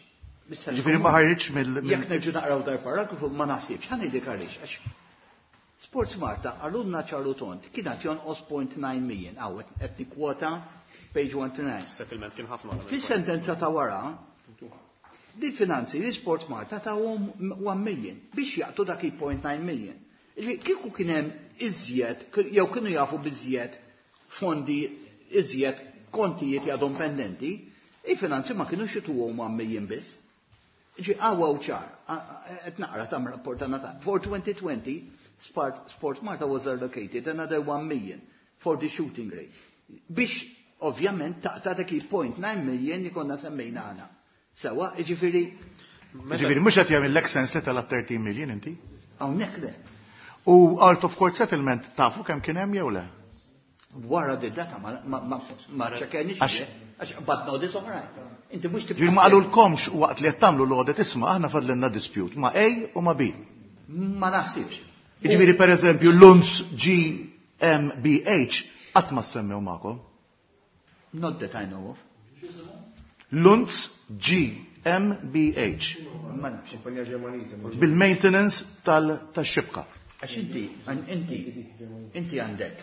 Ġifieri ma ħarġitx mill Jekk nerġu naqraw dar paragrafu ma naħsibx, ħa ngħidlek għaliex. Għax Sports Malta qalulna ċar u tond kienet jonqos 0.9 million, hawn qed nikkwota page 129. Settlement kien ħafna. Fis-sentenza ta' wara, di finanzi li Sports Malta ta' 1 million biex jaqtu dak il-0.9 million. Kieku kien hemm iżjed, jew kienu jafu biżjed fondi, iżjed kontijiet għadhom pendenti, il-finanzi ma kienu jtuhom 1 million biss. Ġi għawa u ċar, qed naqra tam rapport ta' For 2020, Sport Malta was allocated another 1 million for the shooting range. Biex ovvjament taqta' dak il-0.9 million li konna semmejna aħna. Sewa, ġifieri. Ġifieri, mhux qed jagħmel sens li tala 13 million inti? Hawnhekk le. U out of court settlement tafu kemm kien hemm jew le? Wara di data ma ċekkenix għax badna audits oħrajn. Inti mhux tibqa' Ġifieri ma qalulkomx waqt li qed tagħmlu l-audit, isma', aħna fadlilna dispute ma' A u ma' B. Ma naħsibx. Ġifieri pereżempju Lunz GmbH qatt ma semmew magħkom. Not that I know of. Lunz GmbH. Ma nafx. Kumpanija Ġermaniża. Bil-maintenance tal-xibka. Għax inti għandek.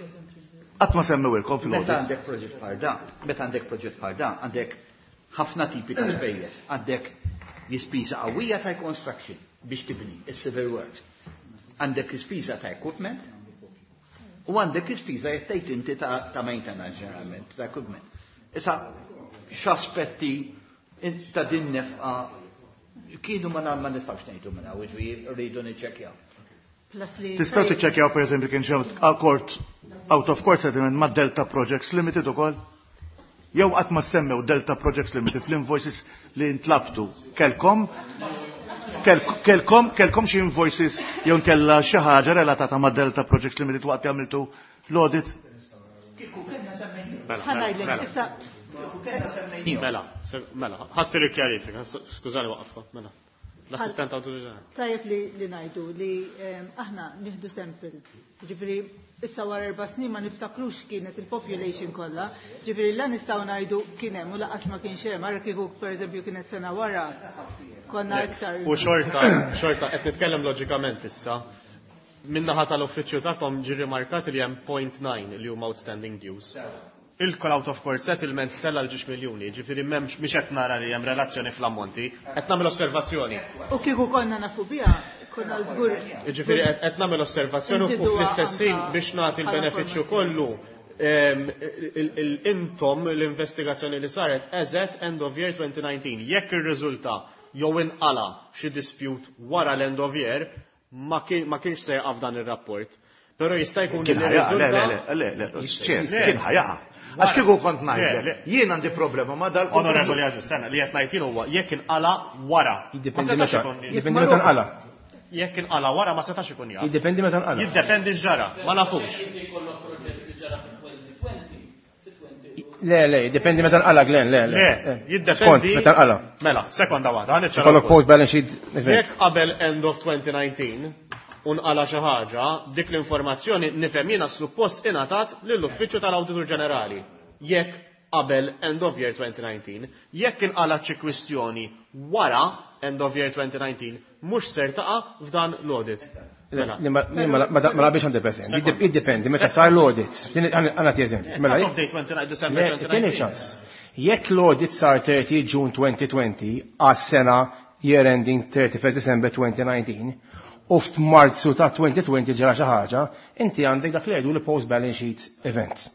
Qatt ma semmewilkom fil Meta għandek proġett bħal da, meta għandek proġett bħal da, għandek ħafna tipi ta' spejjeż. Għandek l-ispiża qawwija ta' construction biex tibni, is-civil works. Għandek l-ispiża ta' equipment u għandek l-ispiża jekk tgħid inti ta' maintenance ġeneralment, ta' equipment. Issa x'aspetti ta' din nefqa kienu ma nistgħux ngħidu minn hawn, jiġifieri rridu niċċekkjaw. Tistgħu tiċċekkjaw pereżempju kien xi court out of court settlement ma' Delta Projects Limited ukoll? Jew qatt ma semmew Delta Projects Limited fl-invoices li ntlabtu. Kelkom xi invoices jew nkella xi ħaġa relatata ma' Delta Projects Limited waqt li għamiltu l-audit? Mela, Mela, ħassir il-kjarifika, skużani waqafkom, mela. L-assistent Awditur Ġenerali. Tajjeb li ngħidu li aħna nieħdu sample. Ġifieri issa wara 4 snin ma niftakrux kienet il-population kollha. Ġifieri la nistgħu ngħidu kien hemm u lanqas ma kienx hemm, ara kieku pereżempju kienet sena wara konna iktar. U xorta qed nitkellem loġikament issa. Min-naħa tal-uffiċċju tagħkom ġi rimarkat li hemm 0.9 li huma outstanding dues. Il-call out of court settlement tella l-ġiex miljuni, ġifieri m'hemmx, mhix qed nara li hemm relazzjoni fl-ammonti, qed nagħmel osservazzjoni. U kieku konna nafu biha, konna żgur. Ġifieri qed nagħmel osservazzjoni u fl-istess ħin biex nagħti l-benefiċċju kollu intom l-investigazzjoni li saret as at end of year 2019. Jekk ir-riżulta jew inqala xi dispute wara l-end of year, ma kienx se jaqaf dan ir-rapport. Però jista' jkun li Le, le, le, le, ċert, kien ħa jaqa'. Għax kieku kont ngħidlek, jien għandi problema ma dal. Onorevoli Agius, sena li qed ngħid huwa jekk inqala wara. Jiddependi meta nqala. Jekk inqala wara ma setax ikun jaf. Jiddependi meta nqala. Jiddependi x'ġara, ma nafux. Le, le, jiddependi meta nqala, Glenn, le, le. Le, jiddependi. Skont meta nqala. Mela, sekonda waħda, ħa Ikollok post balance sheet event. Jekk qabel end of 2019 unqala xi ħaġa, dik l-informazzjoni nifhem jiena suppost ingħatat lill-Uffiċċju tal-Awditur Ġenerali. Jekk qabel end of year 2019, jekk inqala xi kwistjoni wara end of year 2019, mhux ser taqa' f'dan l-audit. Mela. Ma naqbilx 100%. Jiddependi meta sar l-audit. Għana eżempju. Mela, cut-off date 29 December 2019. Ċans. Jekk l-audit sar 30 June 2020 għas-sena year ending 31 December 2019, u f'Marzu ta' 2020 ġara xi ħaġa, inti għandek dak li jgħidu li post balance sheet events.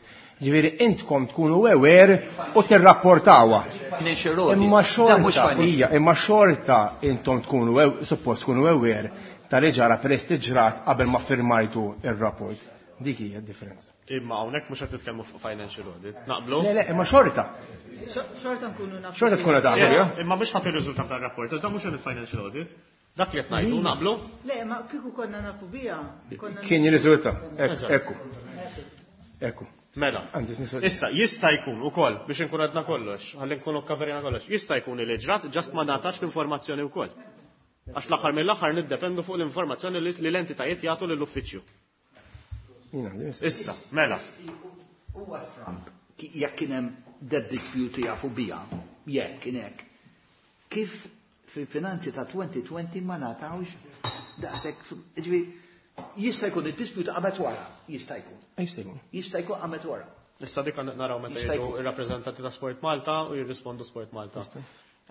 Ġifieri intkom tkunu aware u tirrapportawha. Imma xorta, hija, imma xorta intom tkunu suppost tkunu aware ta' li ġara peress li ġrat qabel ma firmajtu ir-rapport. Dik hija d-differenza. Imma hawnhekk mhux qed nitkellmu fuq financial audit. Naqblu? Le, le, imma xorta. Xorta nkunu nafu. Xorta tkunu tafu, Imma mhux ħadd ir-riżultat tar-rapport, dan mhux il-financial audit. Dak li qed ngħidu, naqblu? Le, ma kieku konna nafu biha. Kien jirriżulta. Ekku. Ekku. Mela. Issa, jista' jkun ukoll biex inkun għadna kollox, ħalli nkunu kkaverjna kollox, jista' jkun li ġrat just ma ngħatax l-informazzjoni wkoll. Għax l-aħħar mill-aħħar niddependu fuq l-informazzjoni li l-entitajiet jagħtu lill-uffiċċju. Issa, mela. Huwa stramb jekk kien hemm that dispute jafu biha, jekk kien hekk. Kif fil-finanzi ta' 2020 ma ngħatawx daqshekk, ġifieri jista' jkun id-dispute qamet wara, jista' jkun. Jista' jkun. Jista' jkun qamet wara. Issa dik naraw meta jgħidu ir-rappreżentanti ta' Sport Malta u jirrispondu Sport Malta.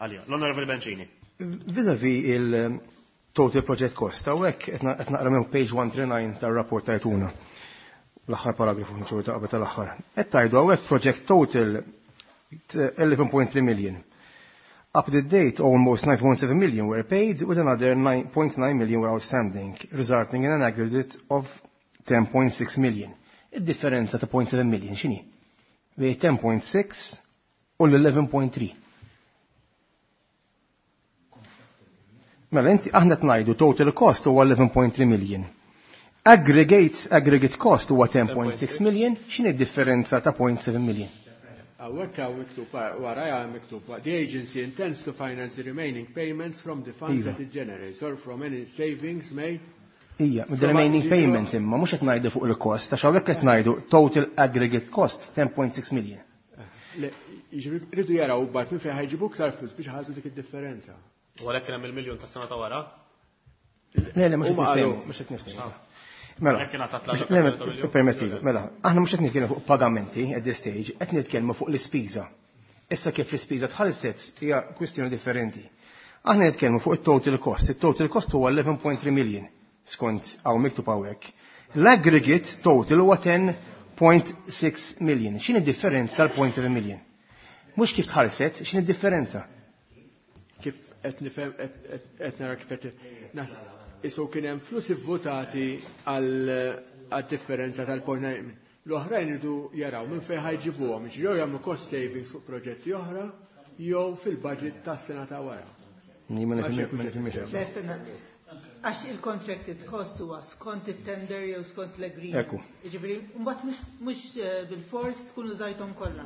Għalija, l-Onorevoli Bencini. Vis-a-vis il-total project cost, hawnhekk qed naqra minn page 139 tar-rapport tajtuna. L-aħħar paragrafu nċur ta' qabel tal-aħħar. Qed tgħidu hawnhekk project total 11.3 million. Up to date, almost 9.7 million were paid, with another 9.9 million were outstanding, resulting in an aggregate of 10.6 million. Id-differenza ta' 0.7 million x'inhi? Bejn 10.6 u l-11.3. Mela inti aħna tnajdu total cost huwa 11.3 million. Aggregate cost huwa 10.6 million, x'inhi d-differenza ta' 0.7 million? Hawnhekk hawn miktub, wara miktub, "The agency intends to finance the remaining payments from the funds that it generates or from any savings made." Ija, the remaining payments imma mhux qed ngħidu fuq il-cost, għax hawnhekk qed ngħidu total aggregate cost 10.6 million. Rridu jaraw bat minn fejn ħa jġibu iktar flus biex ħażu dik id-differenza. U għalhekk hemm il-miljun tas sena ta' wara? Le, le, mhux qed niftehmu. Mela, permetti, mela, aħna mhux qed nitkellmu fuq pagamenti at this stage, qed nitkellmu fuq l-ispiża. Issa kif l-ispiża tħallset hija kwistjoni differenti. Aħna nitkellmu fuq it-total cost. Il-total cost huwa 11.3 million skont hawn miktub hawnhekk. L-aggregate total huwa 10.6 million. X'inhi differenza tal-0.7 million? Mhux kif tħallset, x'inhi differenza? Kif qed nifhem, qed nara kif qed isu kien hemm flus ivvotati għal differenza tal-0.9. L-oħrajn idu jaraw minn fejn ħa jġibuhom, jew jagħmlu cost savings fuq proġetti oħra, jew fil-budget tas-sena ta' wara. Ma nifhimx. Għax il-contracted cost huwa skont it-tender jew skont l-agreement. Ekku. Jiġifieri, mbagħad mhux bil-fors tkun użajthom kollha.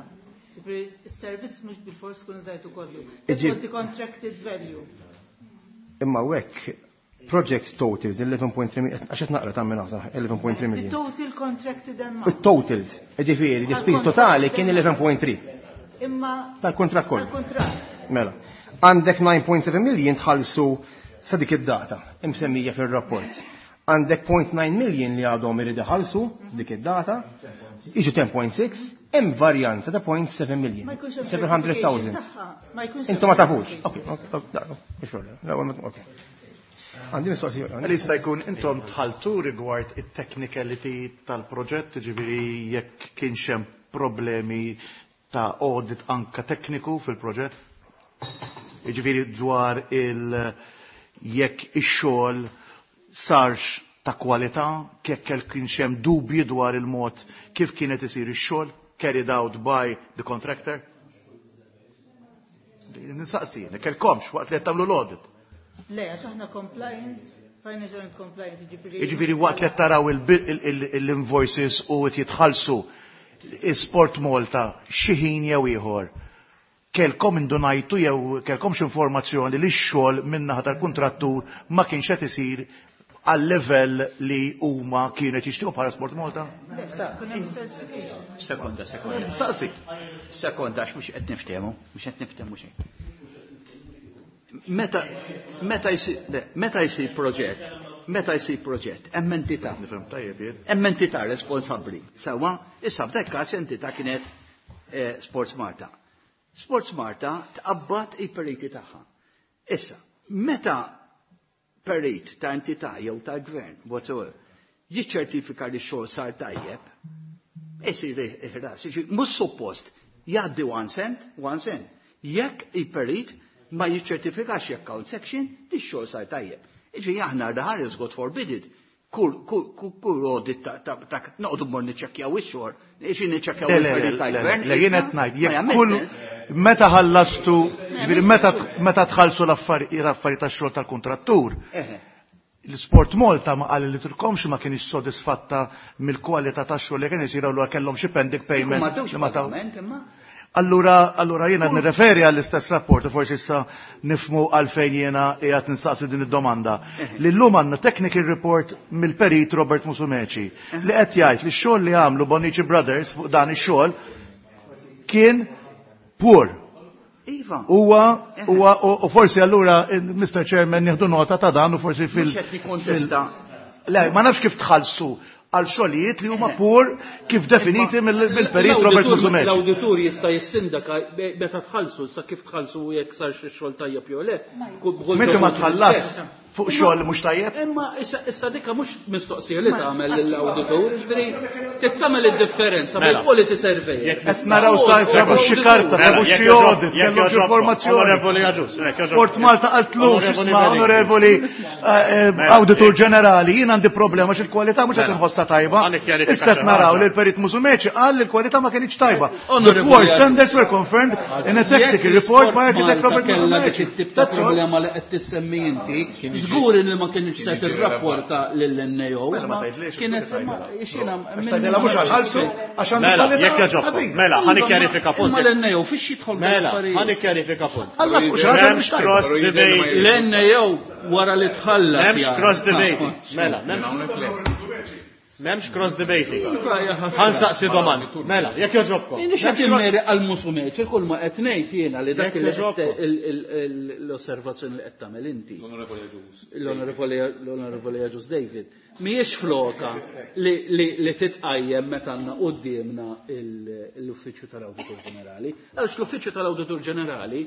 Ġifieri s-servizz mhux bilfors tkun użajtu kollu. It's the contracted value. Imma hekk project total, 11.3 million, għax qed naqra ta' minn 11.3 million. The total contracted amount. Il-total, ġifieri, l-ispiż totali kien 11.3. Imma tal-kontrat kollu. Tal-kontrat. Mela. Għandek 9.7 million tħallsu sa dik id-data imsemmija fir-rapport. Għandek 0.9 million li għadhom irid iħallsu dik id-data, iġu 10.6, hemm varjanza ta' 0.7 million. 700,000. Intom ma tafux. Ok, mhux problema. Ok. Għandi mistoqsija. Għal jista' jkun intom tħaltu rigward it-technicality tal-proġett, ġifieri jekk kienx hemm problemi ta' audit anka tekniku fil-proġett? Ġifieri dwar il- jekk ix-xogħol sarx ta' kwalità, jekk kienx hemm dubji dwar il-mod kif kienet isir ix-xogħol carried out by the contractor? Ninsaqsi, kelkomx waqt li qed tagħmlu l-audit. Le, għax aħna compliance, financial and compliance, ġifieri. Jiġifieri waqt li qed taraw l-invoices u qed jitħallsu Sport Malta xi ħin jew ieħor kelkom indunajtu jew kelkomx informazzjoni li x-xogħol min-naħa tal-kuntrattur ma kienx qed isir għal level li huma kienet jixtiequ bħala Sport Malta? Sekonda, sekonda. Staqsi. Sekonda, għax mhux qed niftehmu, mhux qed niftehmu xejn. Meta meta jsir meta jsir proġett, meta jsir proġett, hemm entità. Nifhem tajjeb jien. Hemm entità responsabbli. Sewwa, issa f'dak każ entità kienet Sports Malta. Sports Malta tqabbad il-periti tagħha. Issa, meta perit ta' entità jew ta' gvern, whatsoever, jiċċertifika li x-xogħol sar tajjeb, isir ħras. Mhux suppost jgħaddi one cent, one cent. Jekk il-perit ma jiċċertifikax jekk account section li x-xogħol sar tajjeb. Iġifieri aħna ħares God forbid it, kull audit ta' noqogħdu mmur niċċekkjaw ix-xogħol, iġifieri niċċekkjaw il-perit tal-gvern. Le, jien qed ngħid, jekk kull meta ħallastu, ġifieri meta tħallsu l-affarijiet tax-xogħol tal-kuntrattur, l-Sport Malta ma qal li tilkomx ma kienx sodisfatta mill-kwalità tax-xogħol li kien isir allura kellhom xi pending payments. Allura jiena nirreferi għall-istess rapport u forsi issa nifmu għalfejn jiena qiegħed nistaqsi din id-domanda. Li llum għandna technical report mill-perit Robert Musumeci li qed jgħid li x-xogħol li għamlu Bonnici Brothers fuq dan ix-xogħol kien poor. Iva. Huwa u forsi allura Mr. Chairman nieħdu nota ta' dan u forsi fil. Mhux qed nikkontesta. Le, ma nafx kif tħallsu għal xogħlijiet li huma poor kif definiti mill-perit Robert Musumeci. L-awditur jista' jissindaka meta tħallsu, sa kif tħallsu jekk sar xi xogħol tajjeb jew le. Meta ma tħallas fuq xogħol mhux tajjeb? Imma issa dikka mhux mistoqsija li tagħmel lill-awditur, ġifieri tagħmel id-differenza bejn quality surveyor. Qed naraw sa sabu xi karta, sabu xi audit, kellu xi informazzjoni. Onorevoli Agius, Sport Malta qaltlu x'isma' onorevoli Awditur Ġenerali, jien għandi problema xi l-kwalità mhux qed inħossha tajba. Issa qed naraw li l-Perit Musumeci qal li l-kwalità ma kienx tajba. The poor standards were confirmed in a technical report by architect Robert Musumeci. Dik it-tip ta' problema li qed tissemmi inti, żgur li ma kienx se tirrapporta lill-NAO. Kienet xina Tgħidilha mhux għalħalsu għax għandu Mela, jekk jogħġobkom. Mela, ħa nikkjarifika punt. Imma l-NAO fiex jidħol Mela, ħa nikkjarifika punt. Ħallas mhux ħaġa mhux tajba. Cross debate. L-NAO wara li tħallas. M'hemmx cross debating. Mela, m'hemmx cross debating. Ħa nsaqsi domanda. Mela, jekk jogħġobkom. Jien x'qed immeri għal Musumeci, kull ma qed ngħid jiena li dak l-osservazzjoni li qed tagħmel inti. L-Onorevoli Agius David. Mhijiex floka li titqajjem meta għandna quddiemna l-Uffiċċju tal-Awditur Ġenerali. Għaliex l-Uffiċċju tal-Awditur Ġenerali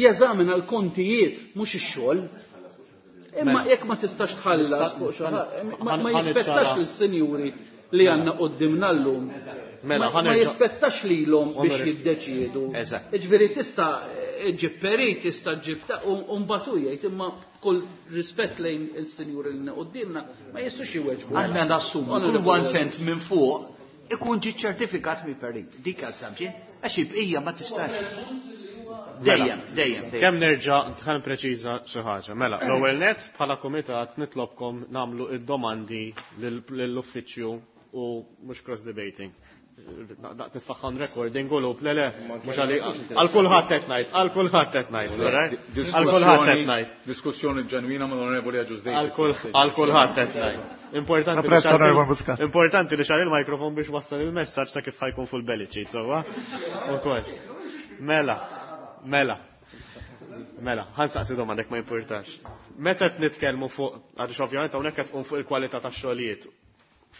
jeżamina l-kontijiet mhux ix-xogħol. Imma jekk ma tistax tħallas fuq xi ma jispettax lis-sinjuri li għandna quddiemna llum. Ma jispettax lilhom biex jiddeċiedu. Ġifieri tista' ġib perit, tista' ġib u mbagħad hu jgħid imma kull rispett lejn il-sinjuri li quddiemna ma jistgħux iweġbu. Aħna nassumu kull one cent minn fuq ikun ġi ċertifikat mill-perit. Dik assumption għax il-bqija ma tistax. Dejjem, dejjem. Kemm nerġa' ħa nippreċiża xi ħaġa. Mela, l-ewwel net bħala kumitat nitlobkom nagħmlu id-domandi lill-uffiċċju u mhux cross debating. Nitfaħħan recording u lup, le le, mux għal kulħadd qed ngħid, għal kulħadd qed ngħid, għal kulħadd qed ngħid. Diskussjoni ġenwina mal-Onorevoli Agius Dejn. Għal kulħadd qed ngħid. Importanti li xar il-mikrofon biex wassal il-messaġġ ta' kif ħajkun full belly cheat, sewwa. Ukoll. Mela, mela. Mela, ħansaqsi domanda ma jimpurtax. Meta qed nitkellmu fuq, għaliex ovvjament hawnhekk qed tqum fuq il-kwalità tax-xogħlijiet.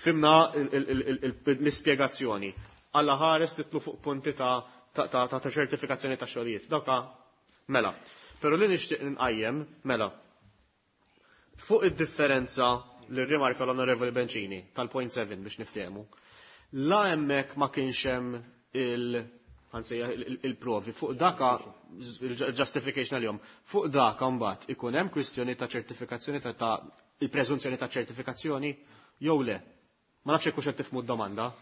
Fimna l-ispjegazzjoni. Alla ħares titlu fuq punti ta' ċertifikazzjoni ta' xogħlijiet. Dawka mela. Però li nixtieq nqajjem, mela, fuq id-differenza li rrimarka l-Onorevoli Bencini tal-0.7 biex niftehmu. La hemmhekk ma kienx hemm il- il-provi fuq daka il-justification għal-jom fuq daka mbagħad ikun hemm kwistjoni ta' ċertifikazzjoni ta' il-preżunzjoni ta' ċertifikazzjoni jew le. Ma nafx hekk hux qed tifhmu d-domanda.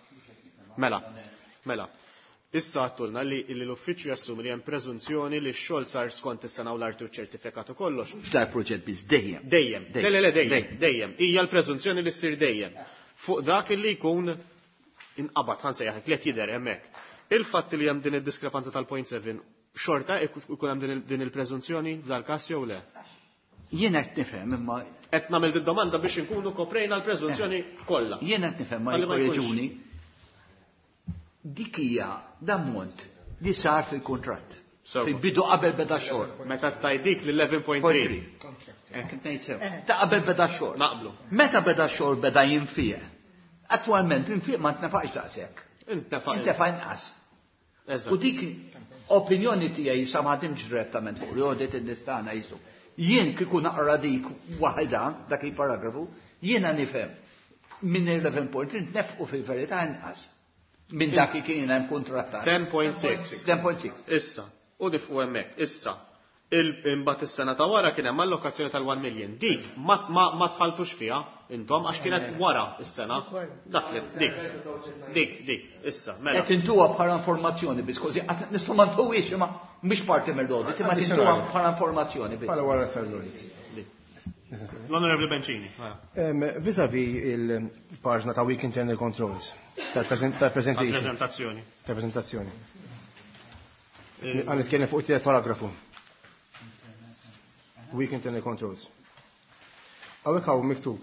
Mela, mela. Issa għattulna li l-uffiċċju jassumi li hemm preżunzjoni li x-xogħol sar skont is-sena u l-arti u ċertifikat u kollox. F'dar proġett biss dejjem. Dejjem. Le, le, le, dejjem. Dejjem. Hija l-preżunzjoni li ssir dejjem. Fuq dak li jkun inqabad ħansejjaħ li qed jidher hemmhekk. Il-fatt li hemm din id-diskrepanza tal-0.7 xorta ikun hemm din il-preżunzjoni f'dal każ jew le? Jien qed nifhem imma qed nagħmel domanda biex inkunu koprejna l-preżunzjoni kollha. Jien qed nifhem ma jkorreġuni. Dik hija l-ammont li sar fil-kuntratt. Fil-bidu qabel beda xogħol. Meta tajdik li 11.3. Ta' qabel beda xogħol. Naqblu. Meta beda xogħol beda jinfieq. Attwalment l-infiq ma ntnefaqx daqshekk. Intefa' Intefa' inqas. U dik opinjoni tiegħi sa ma ħadimx direttament fuq li audit in-nistana jistu. Jien kieku naqra dik waħda dak il-paragrafu, jiena nifhem minn 11.3 nefqu fil-verità inqas minn dak li kien hemm kontrattat. 10.6. 10.6. Issa, u nifqu hemmhekk, issa. Imbagħad is-sena ta' wara kien hemm allokazzjoni tal-1 million. Dik ma tħaltux fiha intom għax kienet wara is-sena. Dak li dik. Dik, dik, issa, mela. Qed intuha bħala informazzjoni biss, kważi qatt nistgħu ma ntuwiex imma mhix parti mill-audit, imma tintuha bħala informazzjoni biss. Bħala wara sar l-audit. L-Onorevoli Bencini. Vis-a-vis il-paġna ta' Weak Internal Controls, tal-presentation. Tal-prezentazzjoni. Tal-prezentazzjoni. Għan nitkellem fuq it-tielet paragrafu. Weak Internal Controls. Hawnhekk hawn miktub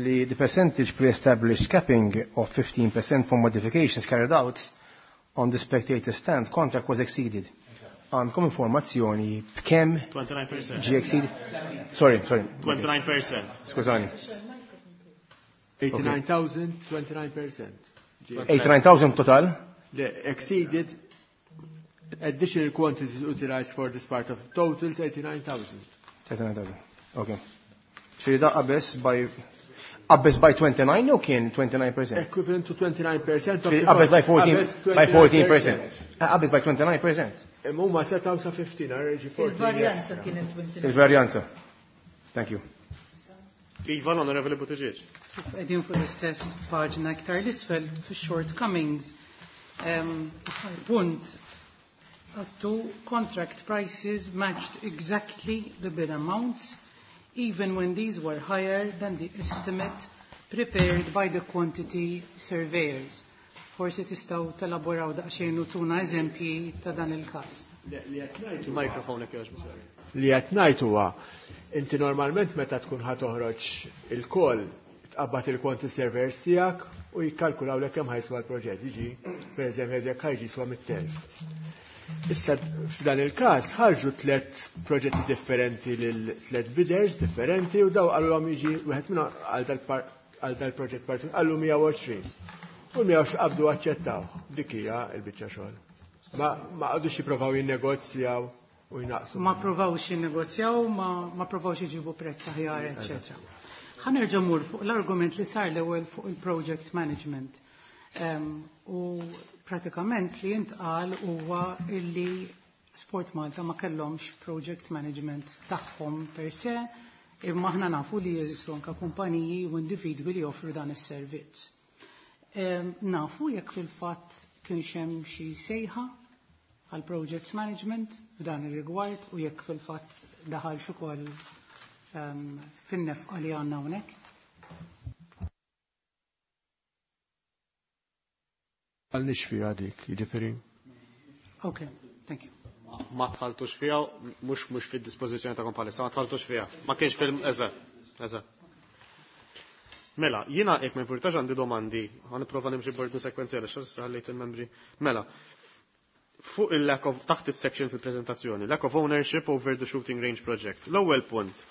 li the percentage pre-established capping of 15% for modifications carried out on the spectator stand contract was exceeded. Għandkom informazzjoni b'kemm 29%. ġie exceeded? Sorry, sorry. 29%. Skużani. 89,000, 29%. 89,000 total? The exceeded additional quantities utilized for this part of the total 39,000. 39,000. Okay. Ġifieri da qabeż by qabeż by 29 jew kien 29%? Equivalent to 29% of the Qabeż by 14 qabeż by 14%. Qabeż by 29%. Imma huma setgħu sa 15, għarġi 14. Il-varjanza kienet 29. Il-varjanza. Thank you. Iva, l-Onorevoli Buttigieg. Qegħdin fuq l-istess paġna iktar l-isfel fix-shortcomings. Punt għattu contract prices matched exactly the bid amounts even when these were higher than the estimate prepared by the quantity surveyors. Forsi tistgħu telaboraw daqsxejn u tuna eżempji ta' dan il-każ. Mikrofon jekk jogħġbok. Li qed ngħid huwa inti normalment meta tkun ħa toħroġ il-call tqabbad il-quantity surveyors tiegħek u jikkalkulaw lek kemm ħajswa l-proġett, jiġi pereżempju jekk ħajġi jiswa mit-telf. Issa f'dan il-każ ħarġu tliet proġetti differenti lil tliet bidders differenti u daw qalulhom jiġi wieħed minnhom għal dal-proġett partikolari qallu 120. U 120 qabdu aċċettaw. Dik hija l-biċċa xogħol. Ma qagħdux jippruvaw jinnegozjaw u jnaqsu. Ma provawx jinnegozjaw, ma provawx iġibu prezz aħjar, eċċetera. Ħa nerġa' mmur fuq l-argument li sar l-ewwel fuq il-project management. U pratikament li jintqal huwa illi Sport Malta ma kellhomx project management tagħhom per se, imma aħna nafu li jeżistu anke kumpaniji u individwi li joffru dan is-servizz. Nafu jekk fil-fatt kienx hemm xi sejħa għal project management f'dan ir-rigward u jekk fil-fatt daħal ukoll fin-nefqa li għandna hawnhekk. Għalniex fiha dik, jiġifieri. Okay, thank you. Ma tħaltux fiha, mhux fid-dispożizzjoni tagħkom bħalissa, ma tħaltux fiha. Ma kienx fil eżatt, eżatt. Mela, jiena jekk ma jimpurtax għandi domandi, ħa nipprova nimxi b'ordni sekwenzjali x'issa ħallejt il-membri. Mela, fuq il-lack of, taħt is-section fil-prezentazzjoni, lack of ownership over the shooting range project. L-ewwel punt,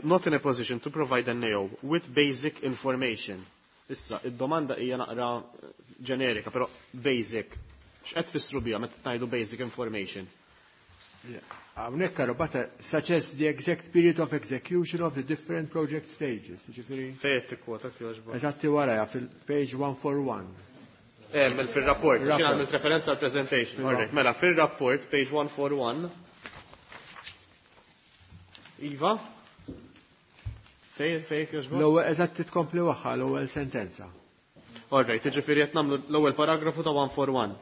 not in a position to provide an NAO with basic information. Issa, id-domanda hija naqra ġenerika, però basic. X'qed tfissru biha meta tgħidu basic information? Hawnhekk karobata such as the exact period of execution of the different project stages. Ġifieri. Fejn qed tikkwota jogħġbok? Eżatti wara fil-page 141. Fil-rapport, xi għamilt referenza għal presentation. Alright, mela fil-rapport, page 141. Iva? Fejn jogħġbok? L-ewwel eżatt titkompli waħħa l-ewwel sentenza. Alright, jiġifieri qed nagħmlu l-ewwel paragrafu ta' 141.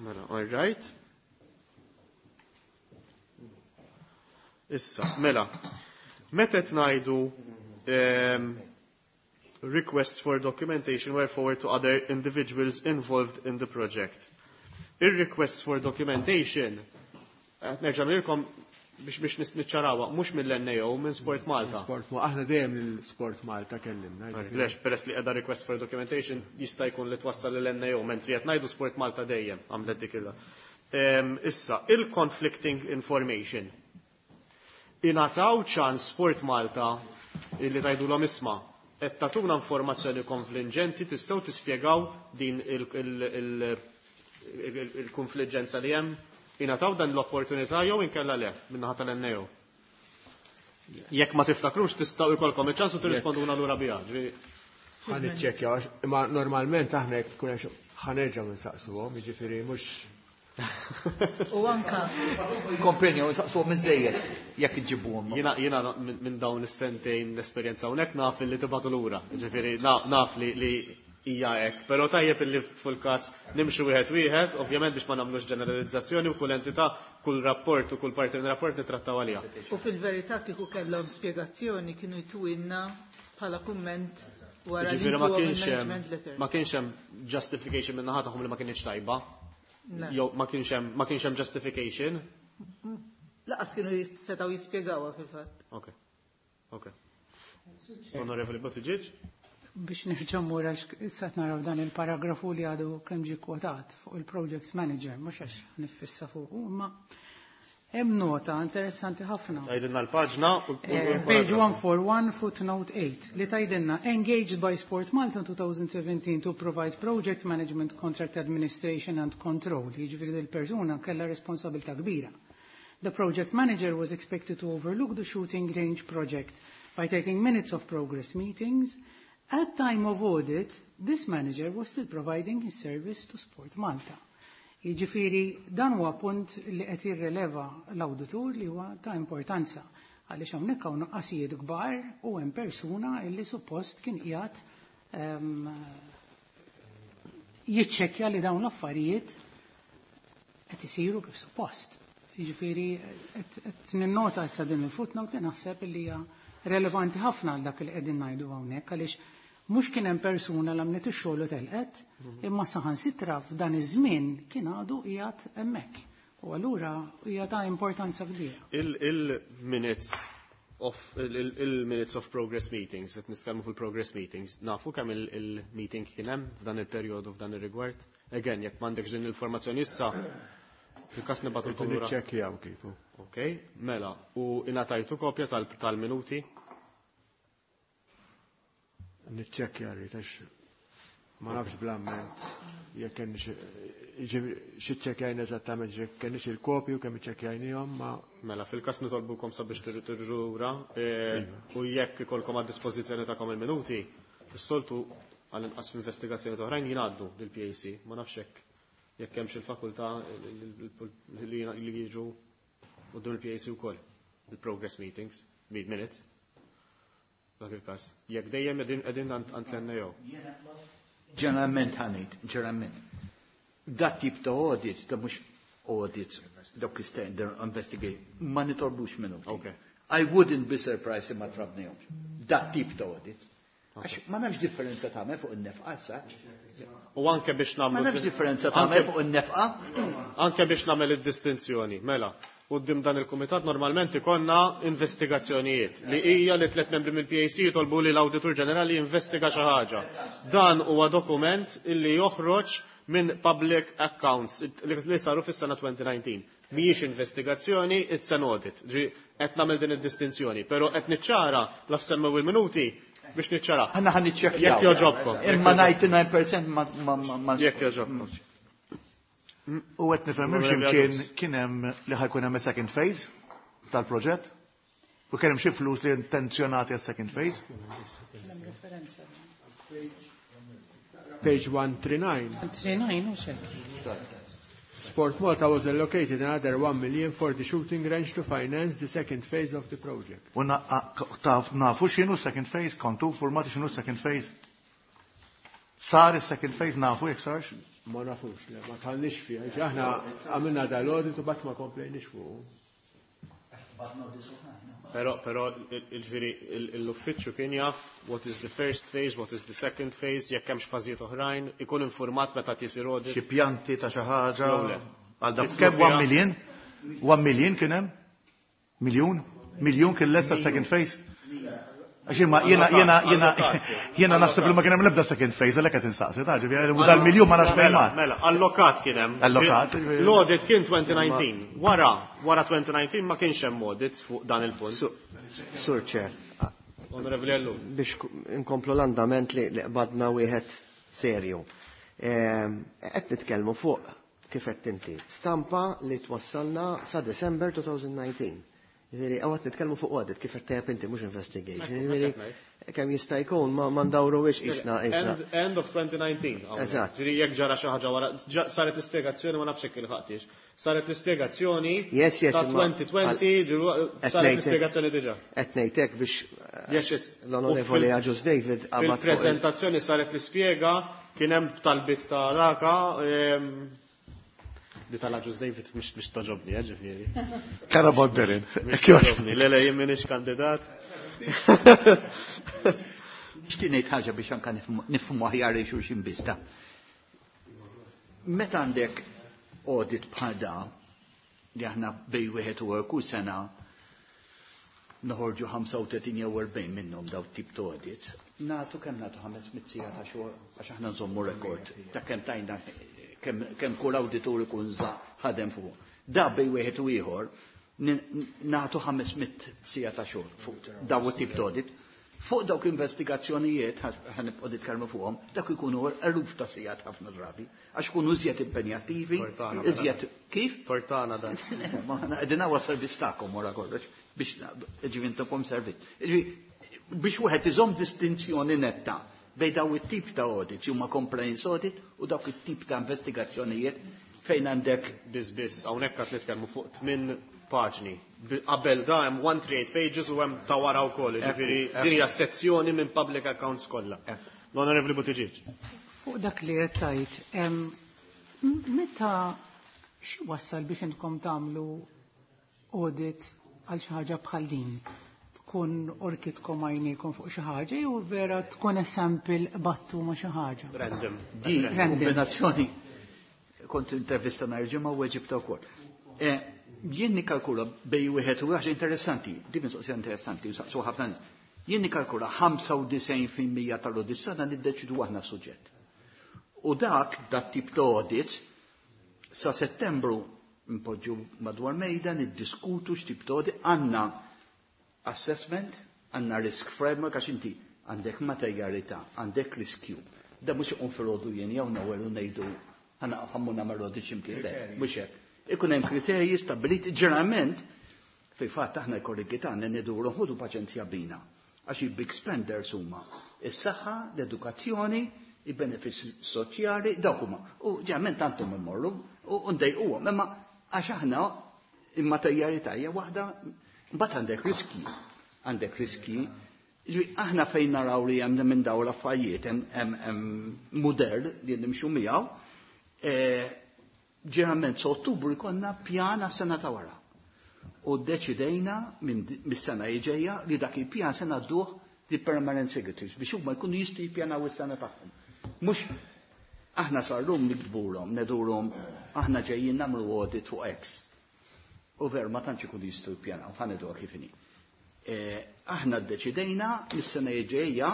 Mela, alright. Issa, mela, meta qed ngħidu requests for documentation were forwarded to other individuals involved in the project. Ir-requests for documentation, qed nerġa' ngħidilkom biex niċċarawha, mhux mill-NAO, minn Sport Malta. Sport Malta, aħna dejjem lil Sport Malta kellimna. Lex, peress li qiegħda request for documentation jista' jkun li twassal lill-NAO, mentri qed ngħidu Sport Malta dejjem għamlet dik il Issa, il-conflicting information. Ingħataw ċans Sport Malta illi tgħidulhom isma' qed tagħtuna informazzjoni konfliġġenti, tistgħu tispjegaw din il-konfliġġenza li hemm? Ingħataw dan l-opportunità jew inkella le min-naħa tal-NAO? Jekk ma tiftakrux tistgħu jkollkom iċ-ċans u tirrisponduna lura biha. Ħa niċċekkjaw għax imma normalment aħna jekk tkun hemm ħa nerġgħu nsaqsuhom, jiġifieri mhux U anka. Komprenju, saqsuhom iżejjed jekk iġibuhom. Jiena minn dawn is-sentejn l-esperjenza hawnhekk naf li tibgħatu lura. Ġifieri naf li hija hekk, però tajjeb illi fil-każ nimxu wieħed wieħed, ovvjament biex ma nagħmlux ġeneralizzazzjoni u kull entità, kull rapport u kull parti minn rapport nittrattaw għaliha. U fil-verità kieku kellhom spjegazzjoni kienu jtuwilna bħala kumment wara li Ġifieri ntuhom il-management letter. ma kienx hemm justification minn naħa tagħhom li ma kienx tajba. Le. Jew ma kienx hemm justification. Laqas kienu setgħu jispjegawha fil-fatt. Ok. Ok. Onorevoli Buttigieg. Biex nerġa' mmur għax issa qed naraw dan il-paragrafu li għadu kemm ġie kwotat fuq il-projects manager, mhux għax nifissa fuq, imma hemm nota interessanti ħafna. Tgħidilna l-paġna u Page 141, footnote 8, li tgħidilna engaged by Sport Malta in 2017 to provide project management, contract administration and control. Jiġifieri dil-persuna kellha responsabilità kbira. The project manager was expected to overlook the shooting range project by taking minutes of progress meetings. At time of audit, this manager was still providing his service to Sport Malta. Jiġifieri dan huwa punt li qed jirreleva l-awditur li huwa ta' importanza għaliex hawnhekk hawn nuqqasijiet kbar u hemm persuna li suppost kien qiegħed jiċċekkja li dawn l-affarijiet qed isiru kif suppost. Jiġifieri qed ninnota issa din il-footnote li naħseb li hija relevanti ħafna għal dak li qegħdin ngħidu hawnhekk għaliex mhux kien hemm persuna li għamlet ix-xogħol u telqet, imma saħansitra f'dan iż-żmien kien għadu qiegħed hemmhekk. U allura hija ta' importanza kbira. Il-minutes of il-minutes of progress meetings, qed nitkellmu fil-progress meetings, nafu kemm il-meeting kien hemm f'dan il-perjodu f'dan ir-rigward. Again, jekk m'għandekx din l-informazzjoni issa, fil-każ nibgħatulkom lura. Niċċekkjaw kieku. Ok, mela, u ingħatajtu kopja tal-minuti? Niċċekkja rrid għax ma nafx bl-amment jekk kenniex xi ċċekkjajna eżattament jekk kenniex il-kopju kemm iċċekkjajnihom ma Mela fil-każ nitolbukom sabiex tirġu lura, u jekk ikolkom għad dispożizzjoni tagħkom il-minuti, is-soltu għall-inqas f'investigazzjoni oħrajn jingħaddu lill-PAC, ma nafx hekk jekk hemmx il-fakultà li jiġu quddiem il-PAC wkoll, il-progress meetings, minutes. Dak il-każ. Jekk dejjem qegħdin għand l-NAO. Ġeneralment ħanejt, ġeneralment. Dat tip ta' audits, ta' mhux audits, dawk standard investigate, ma nitolbux minnu. Okay. I wouldn't be surprised imma trabnihomx. Dat tip ta' audits. Għax ma nafx differenza tagħmel fuq in-nefqa issa. U anke biex nagħmlu. Ma nafx differenza tagħmel fuq in-nefqa. Anke biex nagħmel id-distinzjoni, mela. Quddiem dan il-kumitat normalment ikollna investigazzjonijiet li hija li tliet membri mill-PAC jitolbu li l-Awditur Ġenerali jinvestiga xi ħaġa. Dan huwa dokument illi joħroġ minn public accounts li saru fis-sena 2019. Mhijiex investigazzjoni, it's an audit. Ġi qed nagħmel din id-distinzjoni, però qed niċċara la semmew il-minuti biex niċċara. Aħna ħa niċċekkjaw. Jekk jogħġobkom. Imma 99% ma Jekk jogħġobkom. U qed nifhem x'imkien kien hemm li ħa jkun hemm second phase tal-proġett? U kien hemm xi flus li intenzjonati għas second phase? Page 139. 139 u xek. Sport Malta was allocated another 1 million for the shooting range to finance the second phase of the project. U nafu x'inhu second phase, kontu formati x'inhu second phase? Sar is-second phase nafu jekk sarx? Ma nafux, le, ma tħallniex fiha. Ġi aħna għamilna dal-audit u bat ma komplejniex fuq. Però, il-ġifieri, l-uffiċċju kien jaf what is the first phase, what is the second phase, jekk hemmx fażijiet oħrajn, ikun informat meta tisir audit. Xi pjanti ta' xi ħaġa. Jew le. Għal dak kemm 1 million? 1 million kien hemm? Miljun? Miljun kien lesta second phase? Għax imma jiena naħseb li ma kien hemm l-ebda second phase għalhekk qed insaqsi, ta' ġifieri u dal-miljun ma nafx fejn mar. Mela, allokat kien hemm. Allokat, ġifieri. L-audit kien 2019. Wara 2019 ma kienx hemm audit fuq dan il-punt. Sur Chair. Onorevoli Ellul. Biex inkomplu l-andament li qbadna wieħed serju. Qed nitkellmu fuq kif qed inti. Stampa li twassalna sa December 2019. Ġifieri, qed nitkellmu fuq audit kif qed tgħid inti mhux investigation. Ġifieri, kemm jista' jkun ma ndawru wiex qisna. End of 2019. Hawnhekk. Eżatt. Ġifieri jekk ġara xi ħaġa wara, saret l-ispjegazzjoni ma nafx hekk il-ħaqtix. Saret l-ispjegazzjoni Yes, ta' imma 2020, ġifieri, qed saret ngħidlek l-ispjegazzjoni diġà. Qed ngħidlek biex, Yes. l-Onorevoli U Agius David qabad fuq il- fil-preżentazzjoni saret l-ispjega kien hemm talbiet ta' raka, di tal-Agius David mhix toġobni, ġifieri. Kara Bodderin. Mhix toġobni, le, jien m'iniex kandidat. Nixtieq ngħid ħaġa biex anke nifhmu aħjar lil xulxin biss ta'. Meta għandek audit bħal da, li aħna bej wieħed u kull sena noħorġu 35 jew 40 minnhom daw tip ta' audits, nagħtu kemm nagħtu 500 siegħa ta' xogħol għax aħna nżommu rekord ta' kemm tajna kemm kull awditur ikun ħadem fuq. Da bej wieħed u ieħor nagħtu 500 siegħa ta' xogħol fuq daw it-tip ta' audit. Fuq dawk investigazzjonijiet, ħa nibqgħu nitkellmu fuqhom, dak ikunu eluf ta' sigħat ħafna drabi, għax ikunu iżjed impenjattivi, Tortana, iżjed kif? Tortana dan. Ma aħna qegħdin hawn servizz tagħkom wara kollox biex ġifieri intukom servizz. Ġifieri biex wieħed iżomm distinzjoni netta bejn daw it-tip ta' audit huma compliance audit u dawk it-tip ta' investigazzjonijiet fejn għandek Biss biss, hawnhekk qed nitkellmu fuq 8 paġni. Qabel da hemm 138 pages u hemm ta' wara wkoll, ġifieri din hija sezzjoni minn public accounts kollha. L-Onorevoli Buttigieg. Fuq dak li qed tgħid, meta xi wassal biex intkom tagħmlu audit għal xi ħaġa bħal din? Tkun orkitkom għajnejkom fuq xi ħaġa jew vera tkun sample battu ma' xi ħaġa? Random. Di Random. kombinazzjoni kont intervista nhar ġimgħa u weġibta wkoll. Jien nikkalkula bej wieħed u ħaġa interessanti, di mistoqsija interessanti, u saqsu ħafna nies. Jien nikkalkula 95% tal-audits tagħna niddeċidu aħna suġġett. U dak tip ta' audits, sa Settembru npoġġu madwar mejda, niddiskutu x'tip ta' audit, għandna assessment, għandna risk framework, għax inti għandek materjalità, għandek riskju. Da mhux iqum filgħodu jien jew nawel u ngħidu ħana ħammu nagħmel audit x'imkien, le, mhux hekk. Ikun hemm kriterji stabbiliti ġeneralment fi fatt aħna l-kollegi tagħna niduru ħudu paċenzja bina. Għax il-big spenders huma is-saħħa, l-edukazzjoni, il-benefits soċjali, dawk huma. U ġeneralment tantum immorru u ndejquhom, imma għax aħna il-materjalità hija waħda, mbagħad għandek riski. Għandek riski. Ġifieri aħna fejn naraw li hemm minn dawn l-affarijiet hemm mudell li nimxu miegħu, ġeneralment sa Ottubru jkollna pjan għas-sena ta' wara. U ddeċidejna mis-sena li ġejja li dak il-pjan se ngħadduh The permanent secretaries biex huma jkunu jistgħu jippjanaw is-sena tagħhom. Mhux aħna sal-lum nikdburhom, nedurhom aħna ġejjin nagħmlu audit fuq X. U ver ma tantx ikunu jistgħu jippjanaw, ħa ngħiduha kif inhi. Aħna ddeċidejna mis-sena ġejja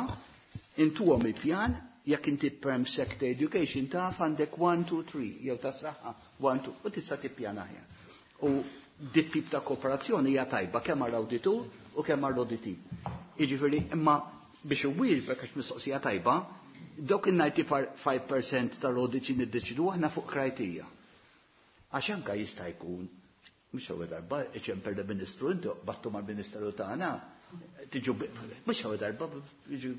intuhom il-pjan jekk inti perm sector education taf għandek 1, 2, 3, jew tas-saħħa 1, 2, u tista' tippjana aħjar. U dit tip ta' kooperazzjoni hija tajba kemm għall-awditur u kemm għall-auditee. Jiġifieri imma biex iwieġbek għax mistoqsija tajba, dawk il-95% tal-audits niddeċidu aħna fuq criteria. Għax anka jista' jkun, mhux ewwel darba iċemper l-Ministru inti battu mal-Ministeru tagħna, tiġu mhux ewwel darba jiġu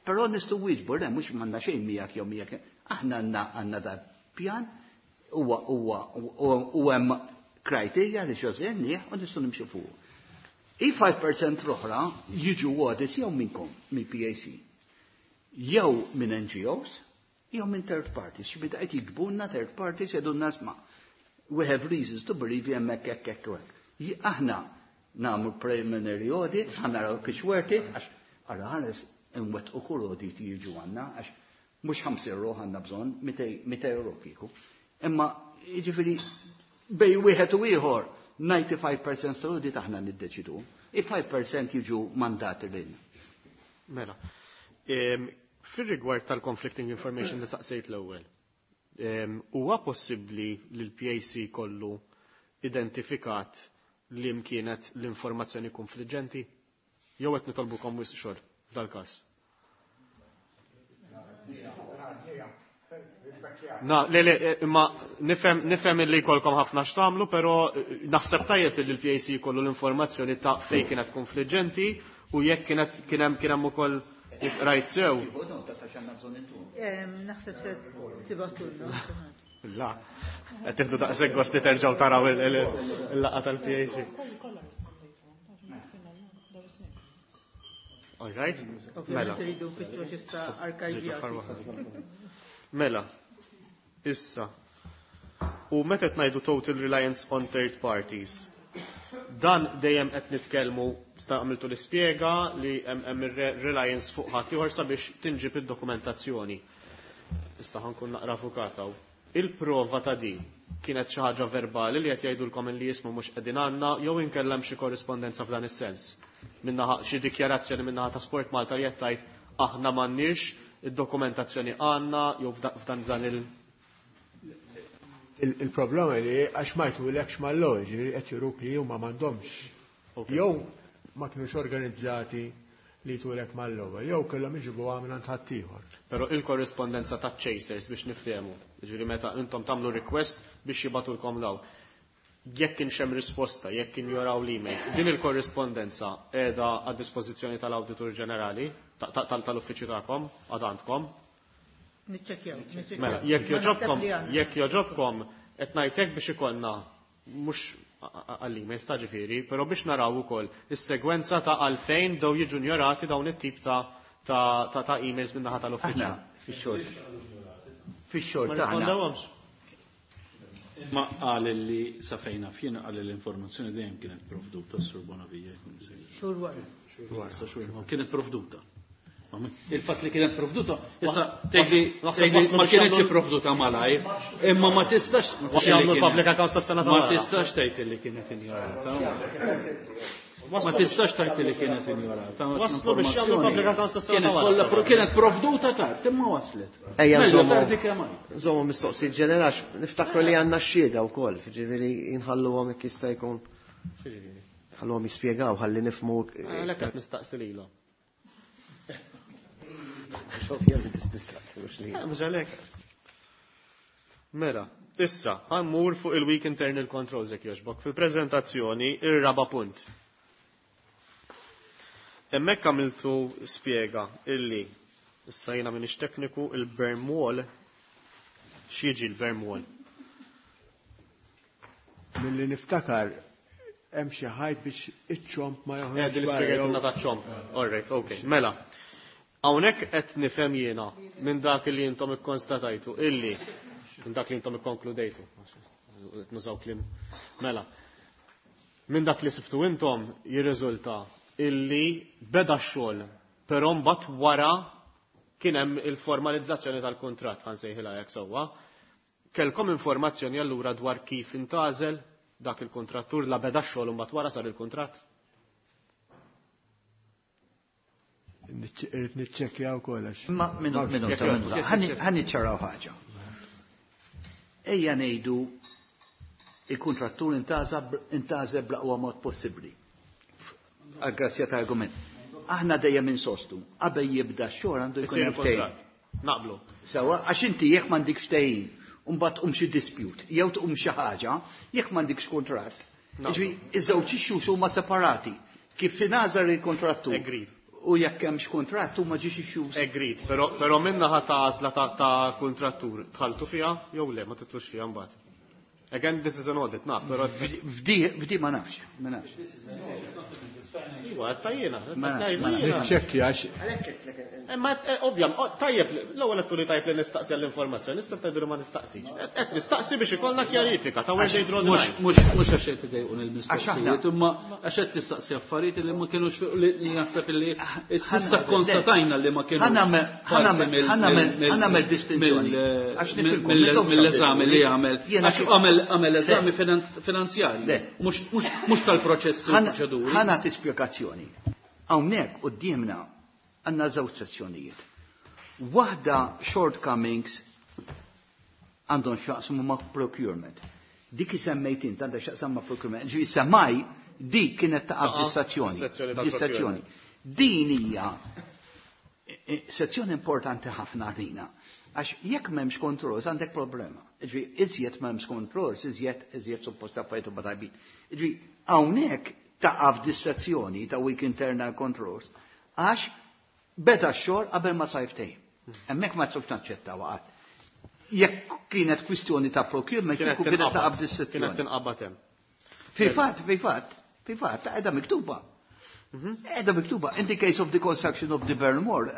però nistgħu wieġbu, le mhux m'għandna xejn miegħek jew miegħek. Aħna għandna da pjan huwa huwa u hemm criteria li xożernieh u nistgħu nimxu fuq. I 5% l-oħra jiġu audits jew minnkom, mill-PAC, jew minn NGOs, jew minn third parties. Xi bida qed jiktbulna third parties jgħidulna isma' we have reasons to believe hemmhekk hekk hekk u hekk. Aħna nagħmlu preliminary audit, ħa naraw kif worth it, għax ara ħares inwettqu kull audit jiġu għandna, għax mhux 50 euro għandna bżonn, 200 euro kieku. Imma jiġifieri bej wieħed u ieħor 95% tal-audit aħna niddeċidu. I 5% jiġu mandati lilna. Mela. Fir-rigward tal-conflicting information li saqsejt l-ewwel, huwa possibbli li l-PAC kollu identifikat li kienet l-informazzjoni konfliġġenti? Jew qed nitolbukom wisq xogħol f'dal-każ? Na, le, le, imma nifhem li jkollkom ħafna x'tagħmlu, però naħseb tajjeb li l-PAC jkollu l-informazzjoni ta' fejn kienet konfliġġenti u jekk kienet kien hemm kien hemm ukoll rajt sew. Naħseb se tibgħatulna. La, qed tieħdu daqshekk gost li terġgħu taraw il-laqgħa tal-PAC. All right? Mela. Tridu nfittxu xista arkivjati. Mela, issa. U meta qed ngħidu total reliance on third parties, dan dejjem qed nitkellmu sta għamiltu l-ispjega li hemm ir-reliance fuq ħadd ieħor sabiex tinġib id-dokumentazzjoni. Issa ħankun naqra avukat hawn. Il-prova ta' di kienet xi ħaġa verbali li qed jgħidulkom li jismu mhux qegħdin għandna jew inkellem xi korrispondenza f'dan is-sens. Minnaħa xi dikjarazzjoni minnaħa ta' Sport Malta li qed tgħid aħna m'għandniex id-dokumentazzjoni għandna jew f'dan dan il- Il-problema li għax ma jtulekx mal-ewwel, ġifieri qed juruk li huma m'għandhomx. Jew ma kinux organizzati li jtulek mal-ewwel, jew kellhom iġibuha minn għand ħaddieħor. Però il-korrispondenza ta' chasers biex niftehmu, ġifieri meta intom tagħmlu request biex jibgħatulkom daw. Jekk kienx hemm risposta, jekk kien joraw l-email, din il-korrispondenza qiegħda għad dispożizzjoni tal-Awditur Ġenerali, tal-uffiċċju tagħkom, għad għandkom. Niċċekkjaw, niċċekkjaw. Mela, Ma naħseb li għandna. jekk joġobkom, qed ngħidlek biex ikollna mhux għall-emails ta' ġifieri, però biex naraw ukoll is-segwenza ta' għalfejn daw jiġu njorati dawn it-tip ta' emails min-naħa tal-uffiċċju. Aħna fix-xogħol. Fix-xogħol Ma tagħna. rispondewhomx. Ma qal li sa fejna fien qal li l-informazzjoni dejjem kienet provduta s-Sur Bonavija. Xhur wara. Sa xhur wara. Kienet provduta. Il-fatt li kienet provduta, issa tgħidli Naħseb tgħidli waslu ma biex kienetx jagħmlu- provduta malajr, imma ma tistax Biex jagħmlu public accounts tas-sena ta' Ma wara. tistax tgħid li kienet injorata. Ma tistax tgħid li kienet injorata. Waslu biex jagħmlu public accounts tas-sena Kienet ta' wara. kollha kienet provduta tard, imma waslet. Ejja, Mela nżommu. tardi kemm għid. Nżommu mistoqsijiet ġenerax, niftakru li għandna x-xhieda wkoll, ġifieri jinħalluhom jekk jista' jkun. Ħalluhom jispjegaw ħalli nifhmu. Għalhekk qed nistaqsi lilhom. Ovvjament tistaqsi mhux li. Mhux għalhekk. Mela, issa, ħammur fuq il-Weak Internal Controls jekk jogħġbok. Fil-preżentazzjoni, ir-raba punt. Hemmhekk għamiltu spjega illi issa jiena m'iniex tekniku il-berm wall x'jiġi l-berm wall? Milli niftakar hemm xi ħajt biex iċ-ċomp ma joħroġ. Din l-ispjegajtilna taċ-ċomp. All right, okay. Mela. Hawnhekk qed nifhem jiena minn dak li intom ikkonstatajtu illi minn dak li intom ikkonkludejtu. Qed nużaw kliem. Mela. Minn dak li sibtu intom jirriżulta illi beda x-xogħol, però mbagħad wara kien hemm il-formalizzazzjoni tal-kuntratt ħa nsejħilha hekk sewwa. Kellkom informazzjoni allura dwar kif intgħażel dak il-kuntrattur la beda x-xogħol u mbagħad wara sar il-kuntratt? Irrid niċċekkja wkoll għax. Ma minuta, minuta. Ħa niċċaraw ħaġa. Ejja ngħidu il-kuntrattur intgħażel bl-aqwa mod possibbli. Għal-grazzja ta' argument. Aħna dejjem insostu, qabel jibda x-xogħol għandu jkun hemm ftehim. Naqblu. Sewwa, għax inti jekk m'għandikx ftehim, u mbagħad tqum xi dispute, jew tqum xi ħaġa, jekk m'għandikx kuntratt. Jiġifieri iż-żewġ issues huma separati. Kif ingħażel il-kuntrattur. Agreed. U jekk hemmx kuntratt huma ġiex issues. Agreed, però però min-naħa ta' għażla ta' ta' kuntrattur dħaltu fiha jew le ma tidħlux fiha mbagħad. Again, this is an audit, naf, però. F'di, f'di ma nafx, ma nafx. Iwa, tajjena. Niċċekkja għax. Ma ovvja, tajjeb, l-ewwel qed turi tajjeb li nistaqsi għall-informazzjoni, issa tgħidu li ma nistaqsix. Qed nistaqsi biex ikollna kjarifika ta' where they draw the line. Mhux għax qed idejquni l-mistoqsijiet, imma għax qed tistaqsi affarijiet li ma kinux li naħseb li issa kkonstatajna li ma kinux. Ħa nagħmel distinzjoni. Mill-eżami li għamel. Għax għamel eżami finanzjarju. Mhux tal-proċessi u proċeduri. Ħa nagħti spjegazzjoni. Hawnhekk quddiemna għandna żewġ sezzjonijiet. Waħda shortcomings għandhom x'jaqsmu ma' procurement. Dik semmejt int għandha x'jaqsam ma' procurement. Ġifieri semmaj dik kienet taqa' f'dis-sezzjoni. Dis-sezzjoni. Din hija sezzjoni importanti ħafna għalina. Għax jekk m'hemmx controls għandek problema. Ġifieri iżjed m'hemmx controls, iżjed iżjed suppost affarijiet huma tajbin. Ġifieri hawnhekk taqa' f'dis-sezzjoni ta' weak internal controls għax beda x-xogħol qabel ma sar ftehim. Hemmhekk ma nistgħux naċċettaw qatt. Jekk kienet kwistjoni ta' procurement, Kienet kieku kienet taqa' tinqabad. f'dis-sezzjoni. Kienet tinqabad hemm. Fil-fatt, fil-fatt, fil-fatt, qiegħda miktuba. Qiegħda miktuba. In the case of the construction of the Burnmore,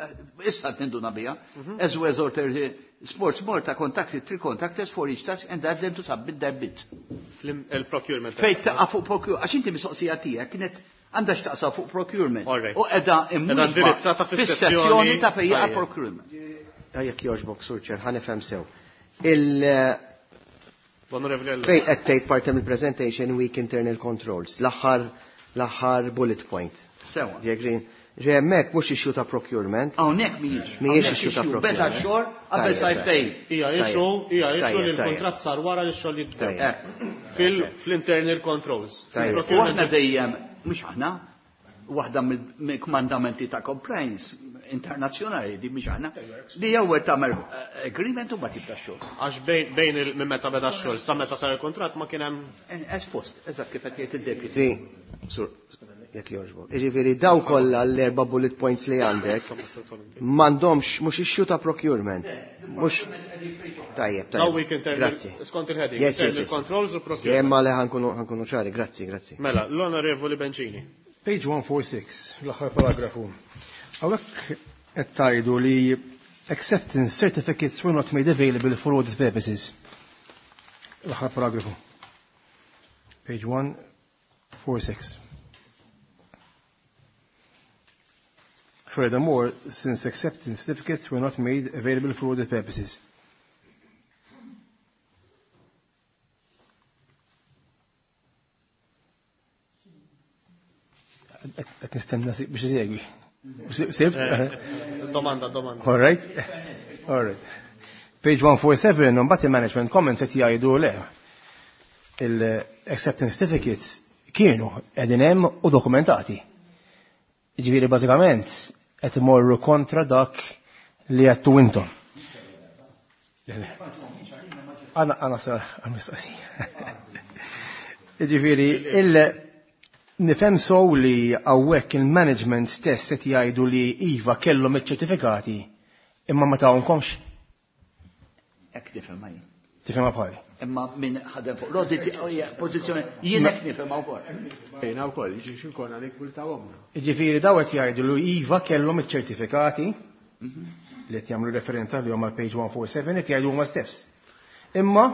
issa tinduna biha, as well as order Sports Malta contacted three contractors for each task and asked them to submit their bids. Il-procurement. Fejn taqa' fuq procurement, għax inti mistoqsija tiegħek kienet għandha x'taqsam fuq procurement. All right. U qiegħda Qiegħda indirizzata fis-sezzjoni ta' fejn jaqa' Tajjeb. procurement. Jekk jogħġbok, Sur Chair, ħa nifhem sew. Il L-Onorevoli Ellul. Fejn qed tgħid parti mill-presentation weak internal controls, l-aħħar l-aħħar bullet point. Sewa. Do you agree? Ġe hemmhekk mhux issue ta' procurement. Hawnhekk mhijiex. Mhijiex Hawnhekk issue ta' issue. procurement. Beda x-xogħol qabel Tajjeb, sar ftehim. Hija issue, hija issue li Tajjeb, tajjeb. l-kuntratt sar wara li x-xogħol jibda. Tajjeb. Fil-internal controls. Tajjeb. U aħna dejjem, mhux aħna, waħda mill-kmandamenti ta' compliance internazzjonali di mhix aħna, li ewwel tagħmel agreement u ma tibda x-xogħol. Għax bejn minn meta beda x-xogħol sa meta sar il-kuntratt ma kien hemm Espost, eżatt kif qed jgħid id-deputy. Fi, sur, jekk jogħġbok. Jiġifieri daw kollha l-erba' bullet points li għandek m'għandhomx mhux issue ta' procurement. Mhux Tajjeb, Daw tajjeb. weak internal Grazzi. skont il-heading, Yes, yes, internal yes. controls u procurement. Imma le ħa nkunu ħa nkunu ċari, grazzi, grazzi. Mela, l-Onorevoli Bencini. Page 146, l-aħħar paragrafu. Hawnhekk qed tgħidu li acceptance certificates were not made available for audit purposes. L-aħħar paragrafu. Page 146. Furthermore, since acceptance certificates were not made available for audit purposes. Qed nistenna biex isegwi. Sibt? Domanda, domanda. All right. All right. Page 147, mbagħad il-management comments qed jgħidu le. Il-acceptance certificates kienu qegħdin hemm u dokumentati. Jiġifieri bażikament qed imorru kontra dak li għedtu intom. Għana sar għal-mistoqsija. Jiġifieri il nifhem sow li hawnhekk il-management stess qed jgħidu li iva kellhom iċ-ċertifikati imma ma tawhomx. Hekk nifhem jien. Tifhimha bħali. Imma min ħadem fuq l-audit hija pożizzjoni jien hekk nifhimha wkoll. Jiena wkoll, jiġi x'inkonna nikkultawhom. Jiġifieri daw qed jgħidu li iva kellhom iċ-ċertifikati li qed jagħmlu referenza li huma page 147 qed jgħidu huma stess. Imma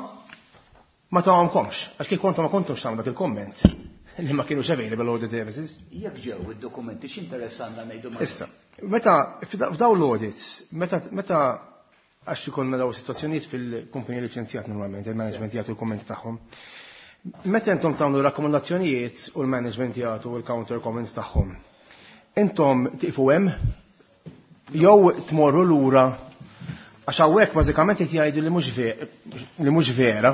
ma tawhomkomx, għax kif kontu ma kontux tagħmlu dak il-komment. li ma kienux available audit services. Jekk ġew id-dokumenti x'interess għandna ngħidu ma. Issa, meta f'daw l-audits, meta għax ikollna daw situazzjonijiet fil-kumpanija liċenzjat normalment, il-management jagħtu l-kummenti tagħhom. Meta intom tagħmlu rakkomandazzjonijiet u l-management jagħtu l-counter comments tagħhom, intom tiqfu hemm jew tmorru lura għax hawnhekk bażikament qed jgħidu li mhux vera.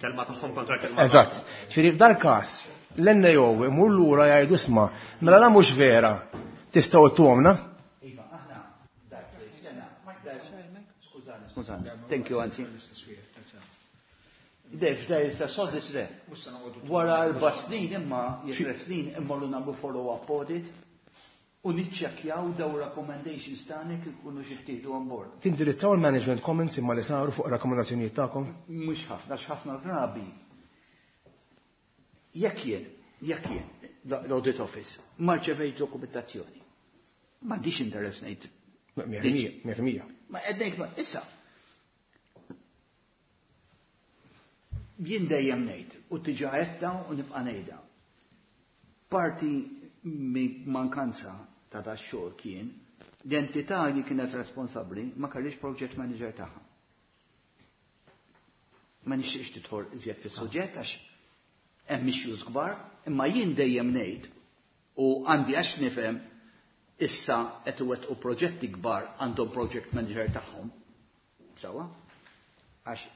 Kelma tagħhom kontra kelma. Eżatt. Ġifieri f'dal każ l-NAO imur lura jgħidu isma' mela la mhux vera tistgħu ttuhomna. Iva, aħna dak sena, skużani, skużani. Thank you, anzi. Def, da jista sodis le. Wara 4 snin imma, jekk 3 snin immorru nagħmlu follow-up audit u niċċekkjaw daw recommendations tagħna kif ikunu xi ttieħdu on board. Tindirizzaw il-management comments imma li saru fuq rakkomandazzjonijiet tagħkom? Mhux ħafna, għax ħafna drabi. Jekk jien, jekk jien, l-audit office, ma rċevejt dokumentazzjoni. M'għandix interess ngħid. 100%. Ma qed ngħid ma issa. Jien dejjem ngħid u tiġa għedta u nibqa' ngħidha. Parti minn mankanza ta' da xogħol kien l-entità li kienet responsabbli ma kellix project manager tagħha. Ma nixtieqx tidħol iżjed fis-suġġett għax hemm issues kbar, imma jien dejjem ngħid u għandi għax nifhem issa qed iwettqu proġetti kbar għandhom project manager tagħhom. Sawa? Għax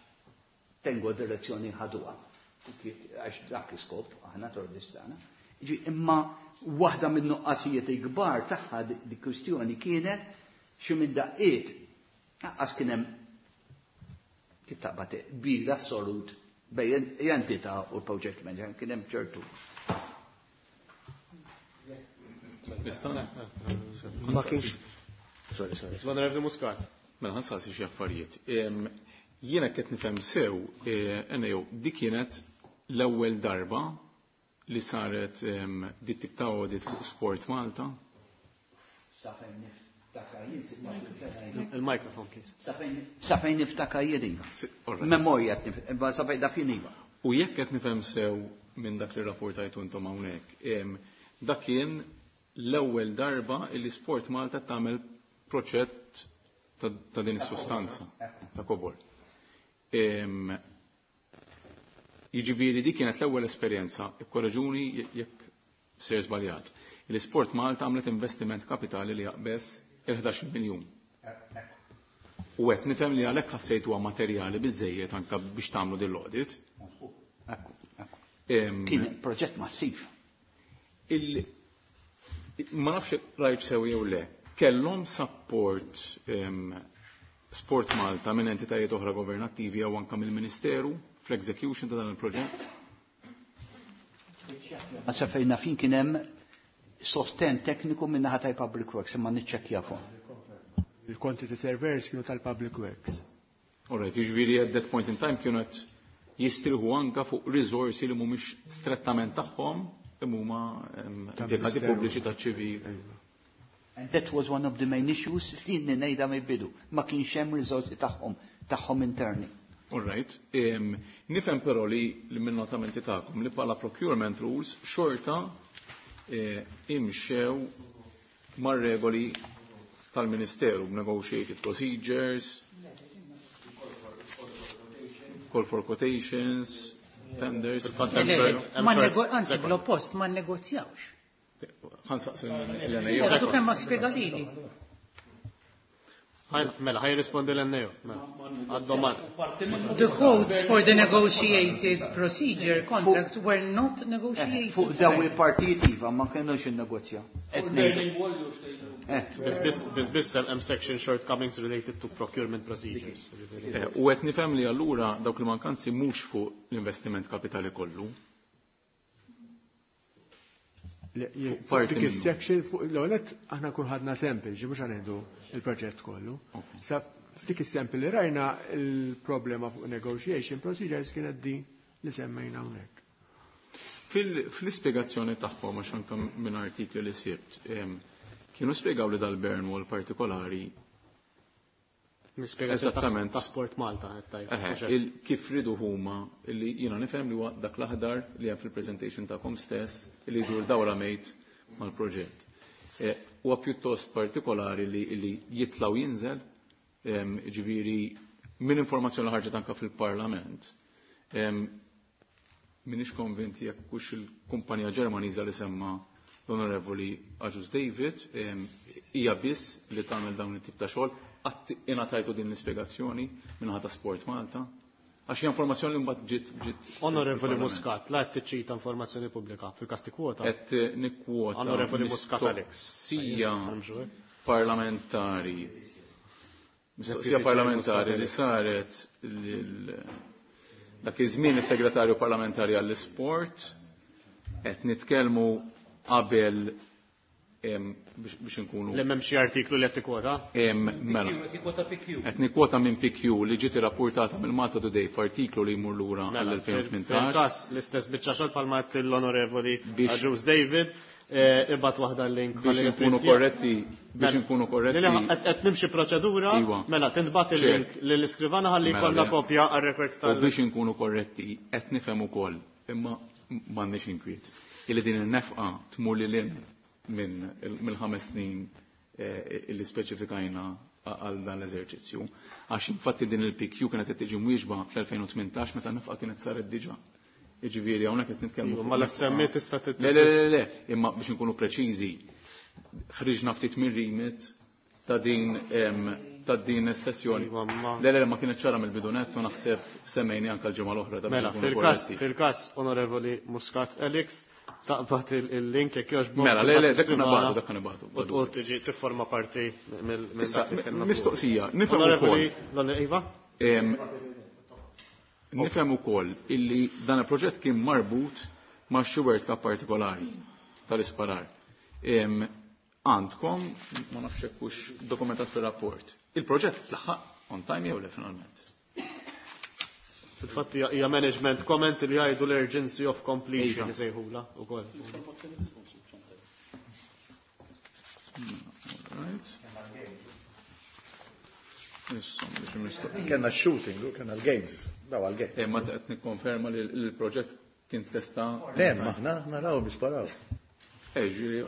tengo direzzjoni ħaduha. Għax dak l-iskop aħna tordistana. Ġi, imma waħda minn nuqqasijiet il-kbar tagħha di kwistjoni kienet xi minn daqqiet lanqas kien hemm kif taqbad bil assolut bejn entità u l-project manager kien hemm ċertu. Ma kienx. Sorry, sorry. L-Onorevoli Muscat. Mela ħansaqsi xi affarijiet. Jiena qed nifhem sew, NAO, dik kienet l-ewwel darba li saret dit tip ta' audit fuq Sport Malta. Sa fejn niftakar jien, sittax-il sena ilu. Il-microphone, please. Sa fejn niftakar jien iva. All right. Memorja qed nif-, imma sa fejn dak jien iva. U jekk qed nifhem sew minn dak li rapportajtu intom hawnhekk, dak kien l-ewwel darba li Sport Malta tagħmel proġett ta' din is-sustanza ta' kobor. Jiġifieri dik kienet l-ewwel esperjenza, ikkoreġuni jekk ser żbaljat. L-Sport Malta għamlet investiment kapitali li jaqbeż il-11 miljun. U qed nifhem li għalhekk ħassejtuha huwa materjali biżejjed anke biex tagħmlu din l-audit. Kien proġett massiv. Ma nafx rajt sew jew le, kellhom support Sport Malta minn entitajiet oħra governattivi jew anke mill-Ministeru fl-execution ta' dan il-proġett? Ma sa fejn nafin kien hemm sosten tekniku minn naħa tal-Public Works imma niċċekkja fuq. Il-quantity surveyors kienu tal-Public Works. All right, jiġifieri at that point in time kienu qed jistrieħu anke fuq riżorsi li mhumiex strettament tagħhom imma huma Tal-Ministeru. impjegati pubbliċi taċ-ċivil. And that was one of the main issues li ngħidha mill-bidu. Ma kienx hemm riżorsi tagħhom interni. All right. Nifhem però li minn notamenti tagħkom li bħala procurement rules xorta imxew mar-regoli tal-Ministeru, negotiated procedures, call for quotations, tenders. Ma anzi, bl-oppost, ma negozjawx. Ħansaqsi l-NAO. Għadu kemm ma spjega lili. Mela, ħaj rispondi l-NAO. Mela, għad-domanda. The quotes for the negotiated procedure contracts were not negotiated. Fuq daw il-partijiet iva ma kienux innegozja. Biss biss hemm section shortcomings related to procurement procedures. U qed nifhem li allura dawk il-mankanzi mhux fuq l-investiment kapitali kollu. Fuq Parti dik minnu. is-section fuq l-għonet aħna kun ħadna sample, ġi mhux ħanieħdu il-proġett kollu. Sa f'dik is-sample li rajna il-problema fuq negotiation procedures kienet din li semmejna hawnhekk. Fl-ispjegazzjoni tagħhom għax anke minn artikli li sibt, kienu spjegaw li dal-Burnwall partikolari Eżattament. Ta' Sport Malta qed tgħid. Kif ridu huma li jiena nifhem li huwa dak l-aħdar li hemm fil-presentation tagħkom stess li jdur dawra mejt mal-proġett. Huwa pjuttost partikolari li jitla' u jinżel, ġifieri minn informazzjoni li ħarġet anke fil-Parlament. M'iniex konvinti jekk hux il-kumpanija Ġermaniża li semma l-Onorevoli Agius David hija biss li tagħmel dawn it-tip ta' xogħol, qatt ingħatajtu din l-ispjegazzjoni minħata ta' Sport Malta. Għax hija informazzjoni li mbagħad ġiet Onorevoli Muscat, la qed tiċċita informazzjoni pubblika fil-każ tikkwota. Qed nikkwota. Onorevoli Muscat Alex. Sija parlamentari. Mistoqsija parlamentari li saret lil dak iż-żmien is-segretarju parlamentari għall-isport qed nitkellmu qabel biex inkunu. Li m'hemm xi artiklu li qed tikkwota? Mela. Qed nikkwota minn PQ li ġiet irrapportata mill-Malta Today f'artiklu li jmur lura għall-2018. Fil-każ l-istess biċċa xogħol bħalma qed l-Onorevoli Agius David, ibgħat waħda l-link biex inkunu korretti, biex inkunu korretti. Qed nimxi proċedura, mela tintbagħat il-link lill-iskrivana ħalli jkollna kopja għar-records tal. U biex inkunu korretti, qed nifhem ukoll, imma m'għandniex inkwiet. Illi din in-nefqa tmur lil hinn minn mill-5 snin illi speċifikajna għal dan l-eżerċizzju. Għax infatti din il-PQ kienet qed tiġi mwieġba fl-2018 meta nefqa kienet saret diġà. Jiġifieri hawnhekk qed nitkellmu fuq. Ma l-SME tista' Le, le, le, le, imma biex inkunu preċiżi, ħriġna ftit mir-remit ta' din ta' din is-sessjoni. Le, le, ma kienet ċara mill-bidu nett u naħseb semmejni anke l-ġimgħa l-oħra ta' Mela, fil-każ Onorevoli Muscat Alex, taqbad il-link jekk jogħġbok. Mela, le, le, dak nibagħtu, dak nibagħtu. U tiġi tifforma parti mill dak li kellna. Mistoqsija, nifhem ukoll. Onorevoli Iva? Nifhem ukoll illi dan il-proġett kien marbut ma' xi World Cup partikolari tal-isparar. Għandkom, ma nafx hekk hux dokumentat fir-rapport, il-proġett tlaħħaq on time jew le finalment? Fil-fatt hija management comment li jgħidu l-urgency of completion isejħula wkoll. Kenna shooting, kenna l-games, daw għal-games. Ma qed nikkonferma li l-proġett kien tlesta. Le, maħna naraw nisparaw. Ġiri,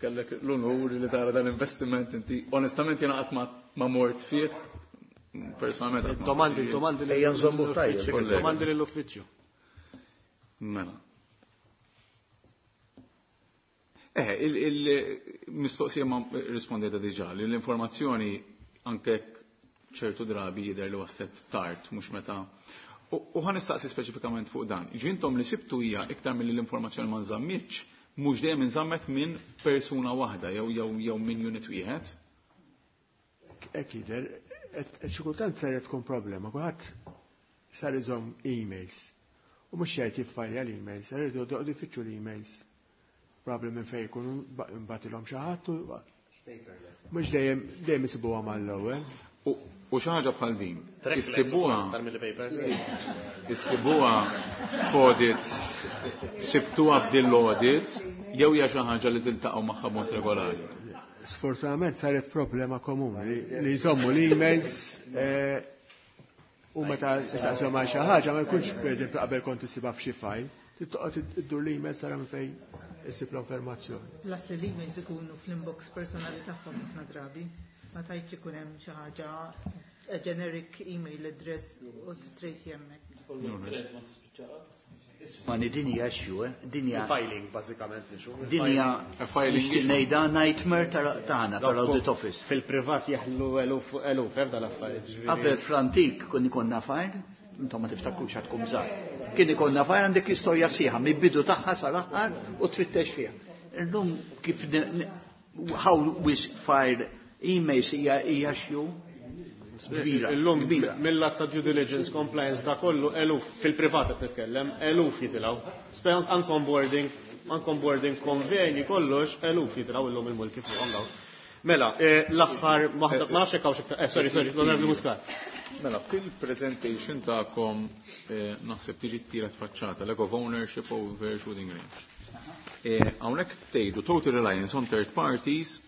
kellek l-onur li tara dan investiment inti. Onestament jiena qatt ma mort fih. Personalment qatt ma Domandi, mort fih. domandi Ejja nżommu tajjeb. Kollega. Domandi lill-uffiċċju. Mela. Il-mistoqsija ma rispondejta diġà li l-informazzjoni anke ċertu drabi jidher li waslet tard, mhux meta. U ħa nistaqsi speċifikament fuq dan. Ġintom li sibtu hija iktar milli l-informazzjoni ma nżammitx, mhux dejjem inżammet minn persuna waħda jew minn unit wieħed. Hekk jidher, xi kultant saret tkun problema, kulħadd sar iżomm emails. U mhux jgħid jiffajja l-emails, sar jgħidu jfittxu l-emails. Probabli minn fejn ikunu nbatilhom xi ħadd u mhux dejjem isibuha mal-ewwel. U xi ħaġa bħal din, Trackless ukoll aktar mill-paper. issibuha f'audit, sibtuha f'din l-audit, jew hija xi ħaġa li tiltaqgħu magħha b'mod regolari. Sfortunatament saret problema komuni li jżommu l-emails u meta istaqshom għal xi ħaġa ma jkunx pereżempju qabel kont issibha f'xi file, tittoqgħod iddur l-emails tara minn fejn issib l-informazzjoni. Plus li l-emails ikunu fl-inbox personali tagħhom ħafna drabi. Ma tgħidx ikun hemm xi ħaġa a generic email address u trace hemmhekk. Ma ni din hija issue, din hija Filing, bażikament, issue. Din hija Filing nixtieq issue. ngħidha nightmare tagħna tal-audit office. Fil-privat jeħlu eluf eluf, ebda l-affarijiet, ġifieri. Qabel fl-antik kun ikonna file, intom ma tiftakrux għad tkun żgħar. Kien ikonna file għandek istorja sieħa mill-bidu tagħha sal-aħħar u tfittex fiha. Illum kif how we file emails hija xju kbira, Illum kbira. mill-att ta' due diligence compliance da kollu eluf fil-privat qed nitkellem, eluf jitilgħu. Spejn anke onboarding, anke onboarding konvenji kollox eluf jitilgħu illum il-multi fuqhom dawn. Mela, l-aħħar waħda, ma nafx hekk hawn xi iktar, sorry, sorry, l-Onorevoli Muscat. Mela, fil-presentation tagħkom naħseb tiġi t-tielet faċċata, lack of ownership over shooting range. Hawnhekk tgħidu total reliance on third parties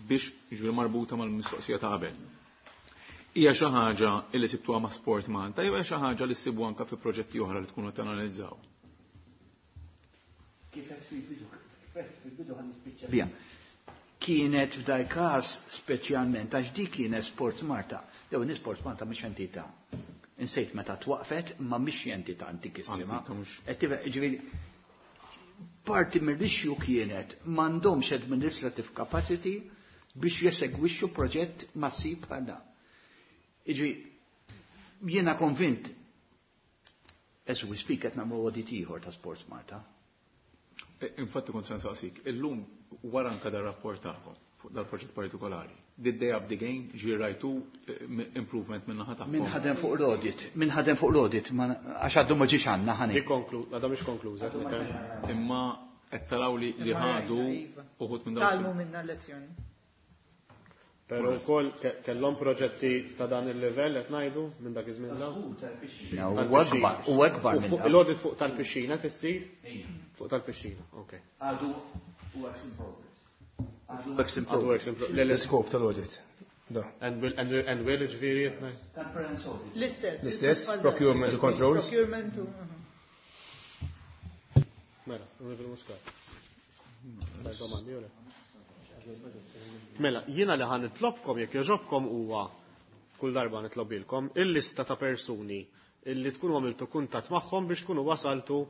biex jiġri marbuta mal-mistoqsija ta' qabel. Hija xi ħaġa li sibtuha ma' Sport Malta jew hija xi ħaġa li ssibu anke fi proġetti oħra li tkunu tanalizzaw? Kif qed fil-bidu, fil-bidu ħa nispiċċa biha. Kienet f'dal każ speċjalment għax dik kienet Sport Malta. Jew Sport Malta mhix entità. Insejt meta twaqfet ma mhix entità antikissima. Ġifieri parti mill-issue kienet m'għandhomx administrative capacity biex jesegwixxu proġett massiv bħal dan. Jiġifieri jiena konvint as we speak qed nagħmlu audit ieħor ta' Sports Malta. Infatti kont se nsaqsik, illum wara anke dar-rapport tagħkom fuq dal-proġett partikolari, did they up the game, ġi rajtu improvement minn naħa tagħkom? Min ħadem fuq l-audit, min ħadem fuq l-audit, għax għaddu ma ġiex għandna ħani. Dik għadha mhix konkluża. Imma qed taraw li ħadu uħud minn dawn. Tgħallmu minna lezzjoni. Pero wkoll kellhom proġetti ta' dan il-livell qed ngħidu minn dak iż-żmien l Huwa akbar, huwa akbar minn dak. Il-audit fuq tal-pixxina tissir? Fuq tal-pixxina, okej. Għadu works in progress. Għadu works in progress. L-iskop tal-audit. And will ġifieri L-istess. L-istess, procurement controls. Procurement. Mela, Onorevoli Muscat. Domandi, jew le? Mela, jiena li ħa nitlobkom jekk jogħġobkom huwa kull darba nitlobilkom il-lista ta' persuni illi tkunu għamiltu kuntatt magħhom biex tkunu wasaltu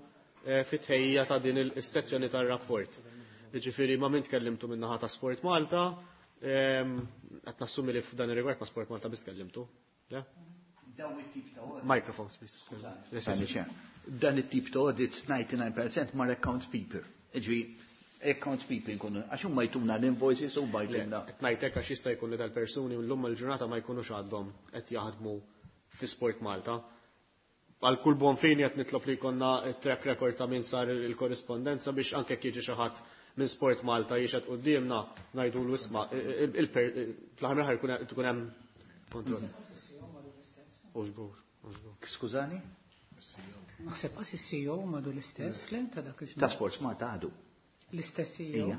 fit-tħejjija ta' din is-sezzjoni tar-rapport. Jiġifieri ma' min tkellimtu min-naħa ta' Sport Malta, qed nassumi li f'dan ir-rigward ma' Sport Malta biss tkellimtu. Le? Dawn it-tip ta' audits. Microphones, please. Dan it-tip ta' audits 99% mar accounts people. Jiġifieri accounts people nkunu, għax huma jtuna l-invoices u huma jtuna. Qed ngħid hekk għax jista' jkun li dal-persuni llum il-ġurnata ma jkunux għadhom qed jaħdmu fi Sport Malta. Għal kull buon fini qed nitlob li jkollna track record ta' min sar il-korrispondenza biex anke jekk jiġi xi ħadd minn Sport Malta jixhed quddiemna ngħidulu isma' fl-aħħar mill-aħħar ikun hemm kontroll. U żgur, u żgur. Skużani? Naħseb qas is-CEO madu l-istess, le ta' dak iż-żmien. Ta' Sports Malta għadu. L-istess CEO? Ija.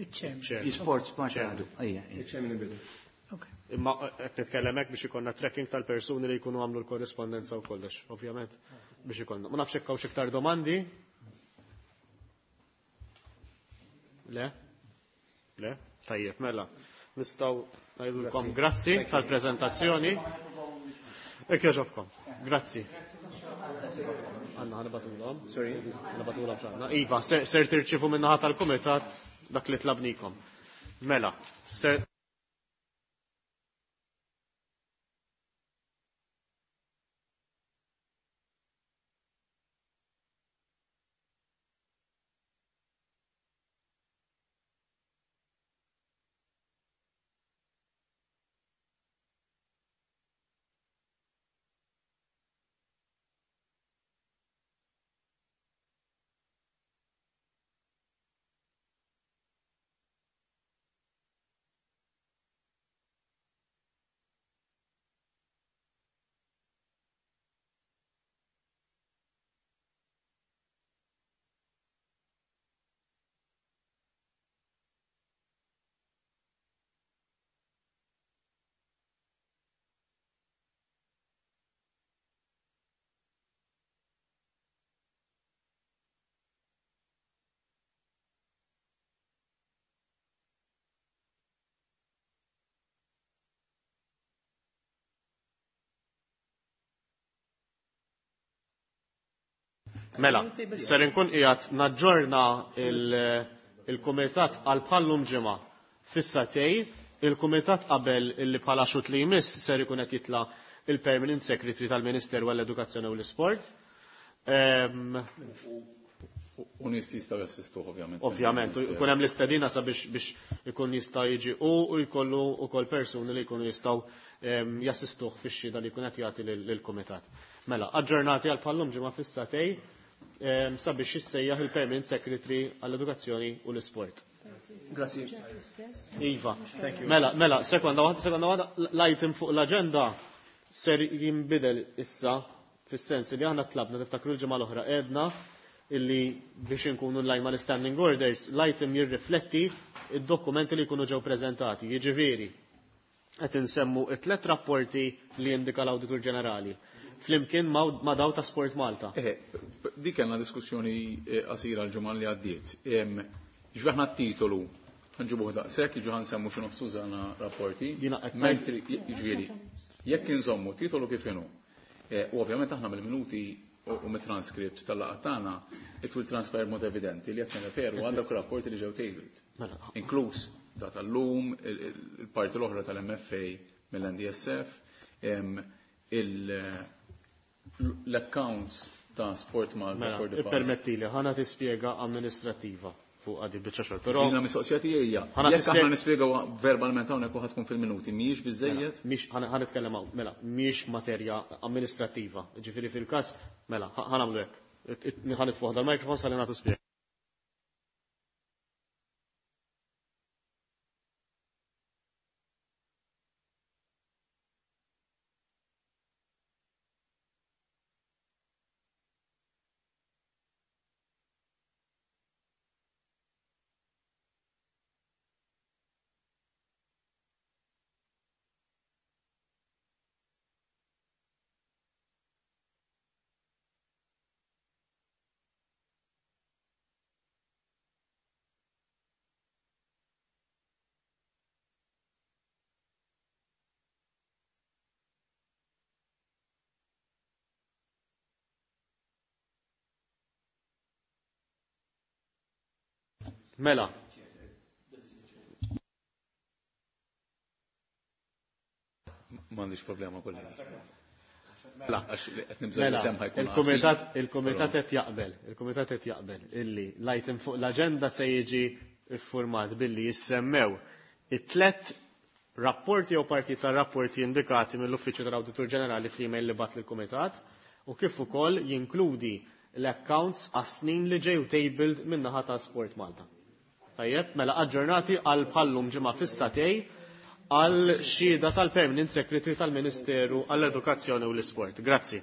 Iċ-chairman. Sports Malta għadu. Ija. Iċ-chairman inbidel. Imma qed nitkellem hekk biex ikollna tracking tal-persuni li jkunu għamlu l-korrispondenza u kollox, ovvjament, biex ikollna. Ma nafx hekk hawnx iktar domandi? Le? Le? Tajjeb, mela. Nistgħu ngħidulkom grazzi tal-preżentazzjoni. Hekk jogħġobkom. Grazzi. Għanna ħanibatulhom. Sorry. Ħanibatulhom x'għandna. Iva, ser tirċievu min-naħa tal-kumitat dak li tlabnikom. Mela, ser Mela, ser inkun qiegħed naġġorna il-kumitat għal bħallum ġimgħa fis-satej, il-kumitat qabel illi bħala xut li jmiss ser ikun qed jitla' il-Permanent Secretary tal-Ministeru għall-Edukazzjoni u l-Isport. U nies jistgħu jassistuh ovvjament. Ovvjament, ikun hemm l-istedina sabiex biex ikun jista' jiġi u jkollu wkoll persuni li jkunu jistgħu jassistuh fix-xhieda li jkun qed jagħti lill-kumitat. Mela, aġġornati għal bħallum ġimgħa fis-satej sabiex jissejjaħ il-Permanent Secretary għall-Edukazzjoni u l-Isport. Grazzi. Iva. Thank you. Mela, mela, sekonda waħda, sekonda waħda, l-item fuq l-aġenda ser jinbidel issa fis-sens li aħna tlabna tiftakru l-ġimgħa l-oħra għedna illi biex inkunu in line mal-standing orders, l-item jirrifletti id-dokumenti li jkunu ġew preżentati. Jiġifieri, Qed insemmu it-tlet rapporti li jindika l-Awditur Ġenerali flimkien ma' daw ta' Sport Malta. Eh, dik kellna diskussjoni qasira l-ġimgħa li għaddiet. Ġifieri aħna t-titolu nġibuh daqshekk, jiġu ħansemmu xi nofs tużana rapporti. Mentri jiġifieri jekk inżommu titolu kif inhu. U ovvjament aħna mill-minuti u mit-transkript tal-laqgħa tagħna it will transpire mod evidenti li qed nirreferu għal dawk rapporti li ġew tabled. Mela. Inkluż ta' tal-lum, il-parti l-oħra tal-MFA mill-NDSF, l-accounts ta' Sport Malta Mela, for the past. ippermettili, ħana tispjega amministrattiva fuq għadi biċċa xogħol. Però Jiena mistoqsija tiegħi hija. Ħana Jekk aħna tispjega- nispjegaw verbalment hawnhekk u ħadd tkun fil-minuti, mhijiex biżejjed? Mela, mhix ħa nitkellem hawn, mela, mhix materja amministrattiva. Ġifieri fil-każ, mela, ħa nagħmlu hekk. Ħa nitfuħ dal-mikrofon ħalli nagħtu spjega. Mela. M'għandix problema kollha. Mela. Għax li qed nibża' Mela, li semħa jkun il-kumitat għaqli. il-kumitat qed jaqbel, il-kumitat qed jaqbel illi l-item fuq l-aġenda se jiġi iffurmat billi jissemmew it-tlet rapporti jew parti tar-rapporti indikati mill-Uffiċċju tal-Awditur Ġenerali fl-email li bat lill-kumitat u kif ukoll jinkludi l-accounts għas-snin li ġew tabled min-naħa ta' Sport Malta. Tajjeb, mela aġġornati għal bħallum ġimgħa fis-satej għal xhieda tal-Permanent Secretary tal-Ministeru għall-Edukazzjoni u l-Isport. Grazzi.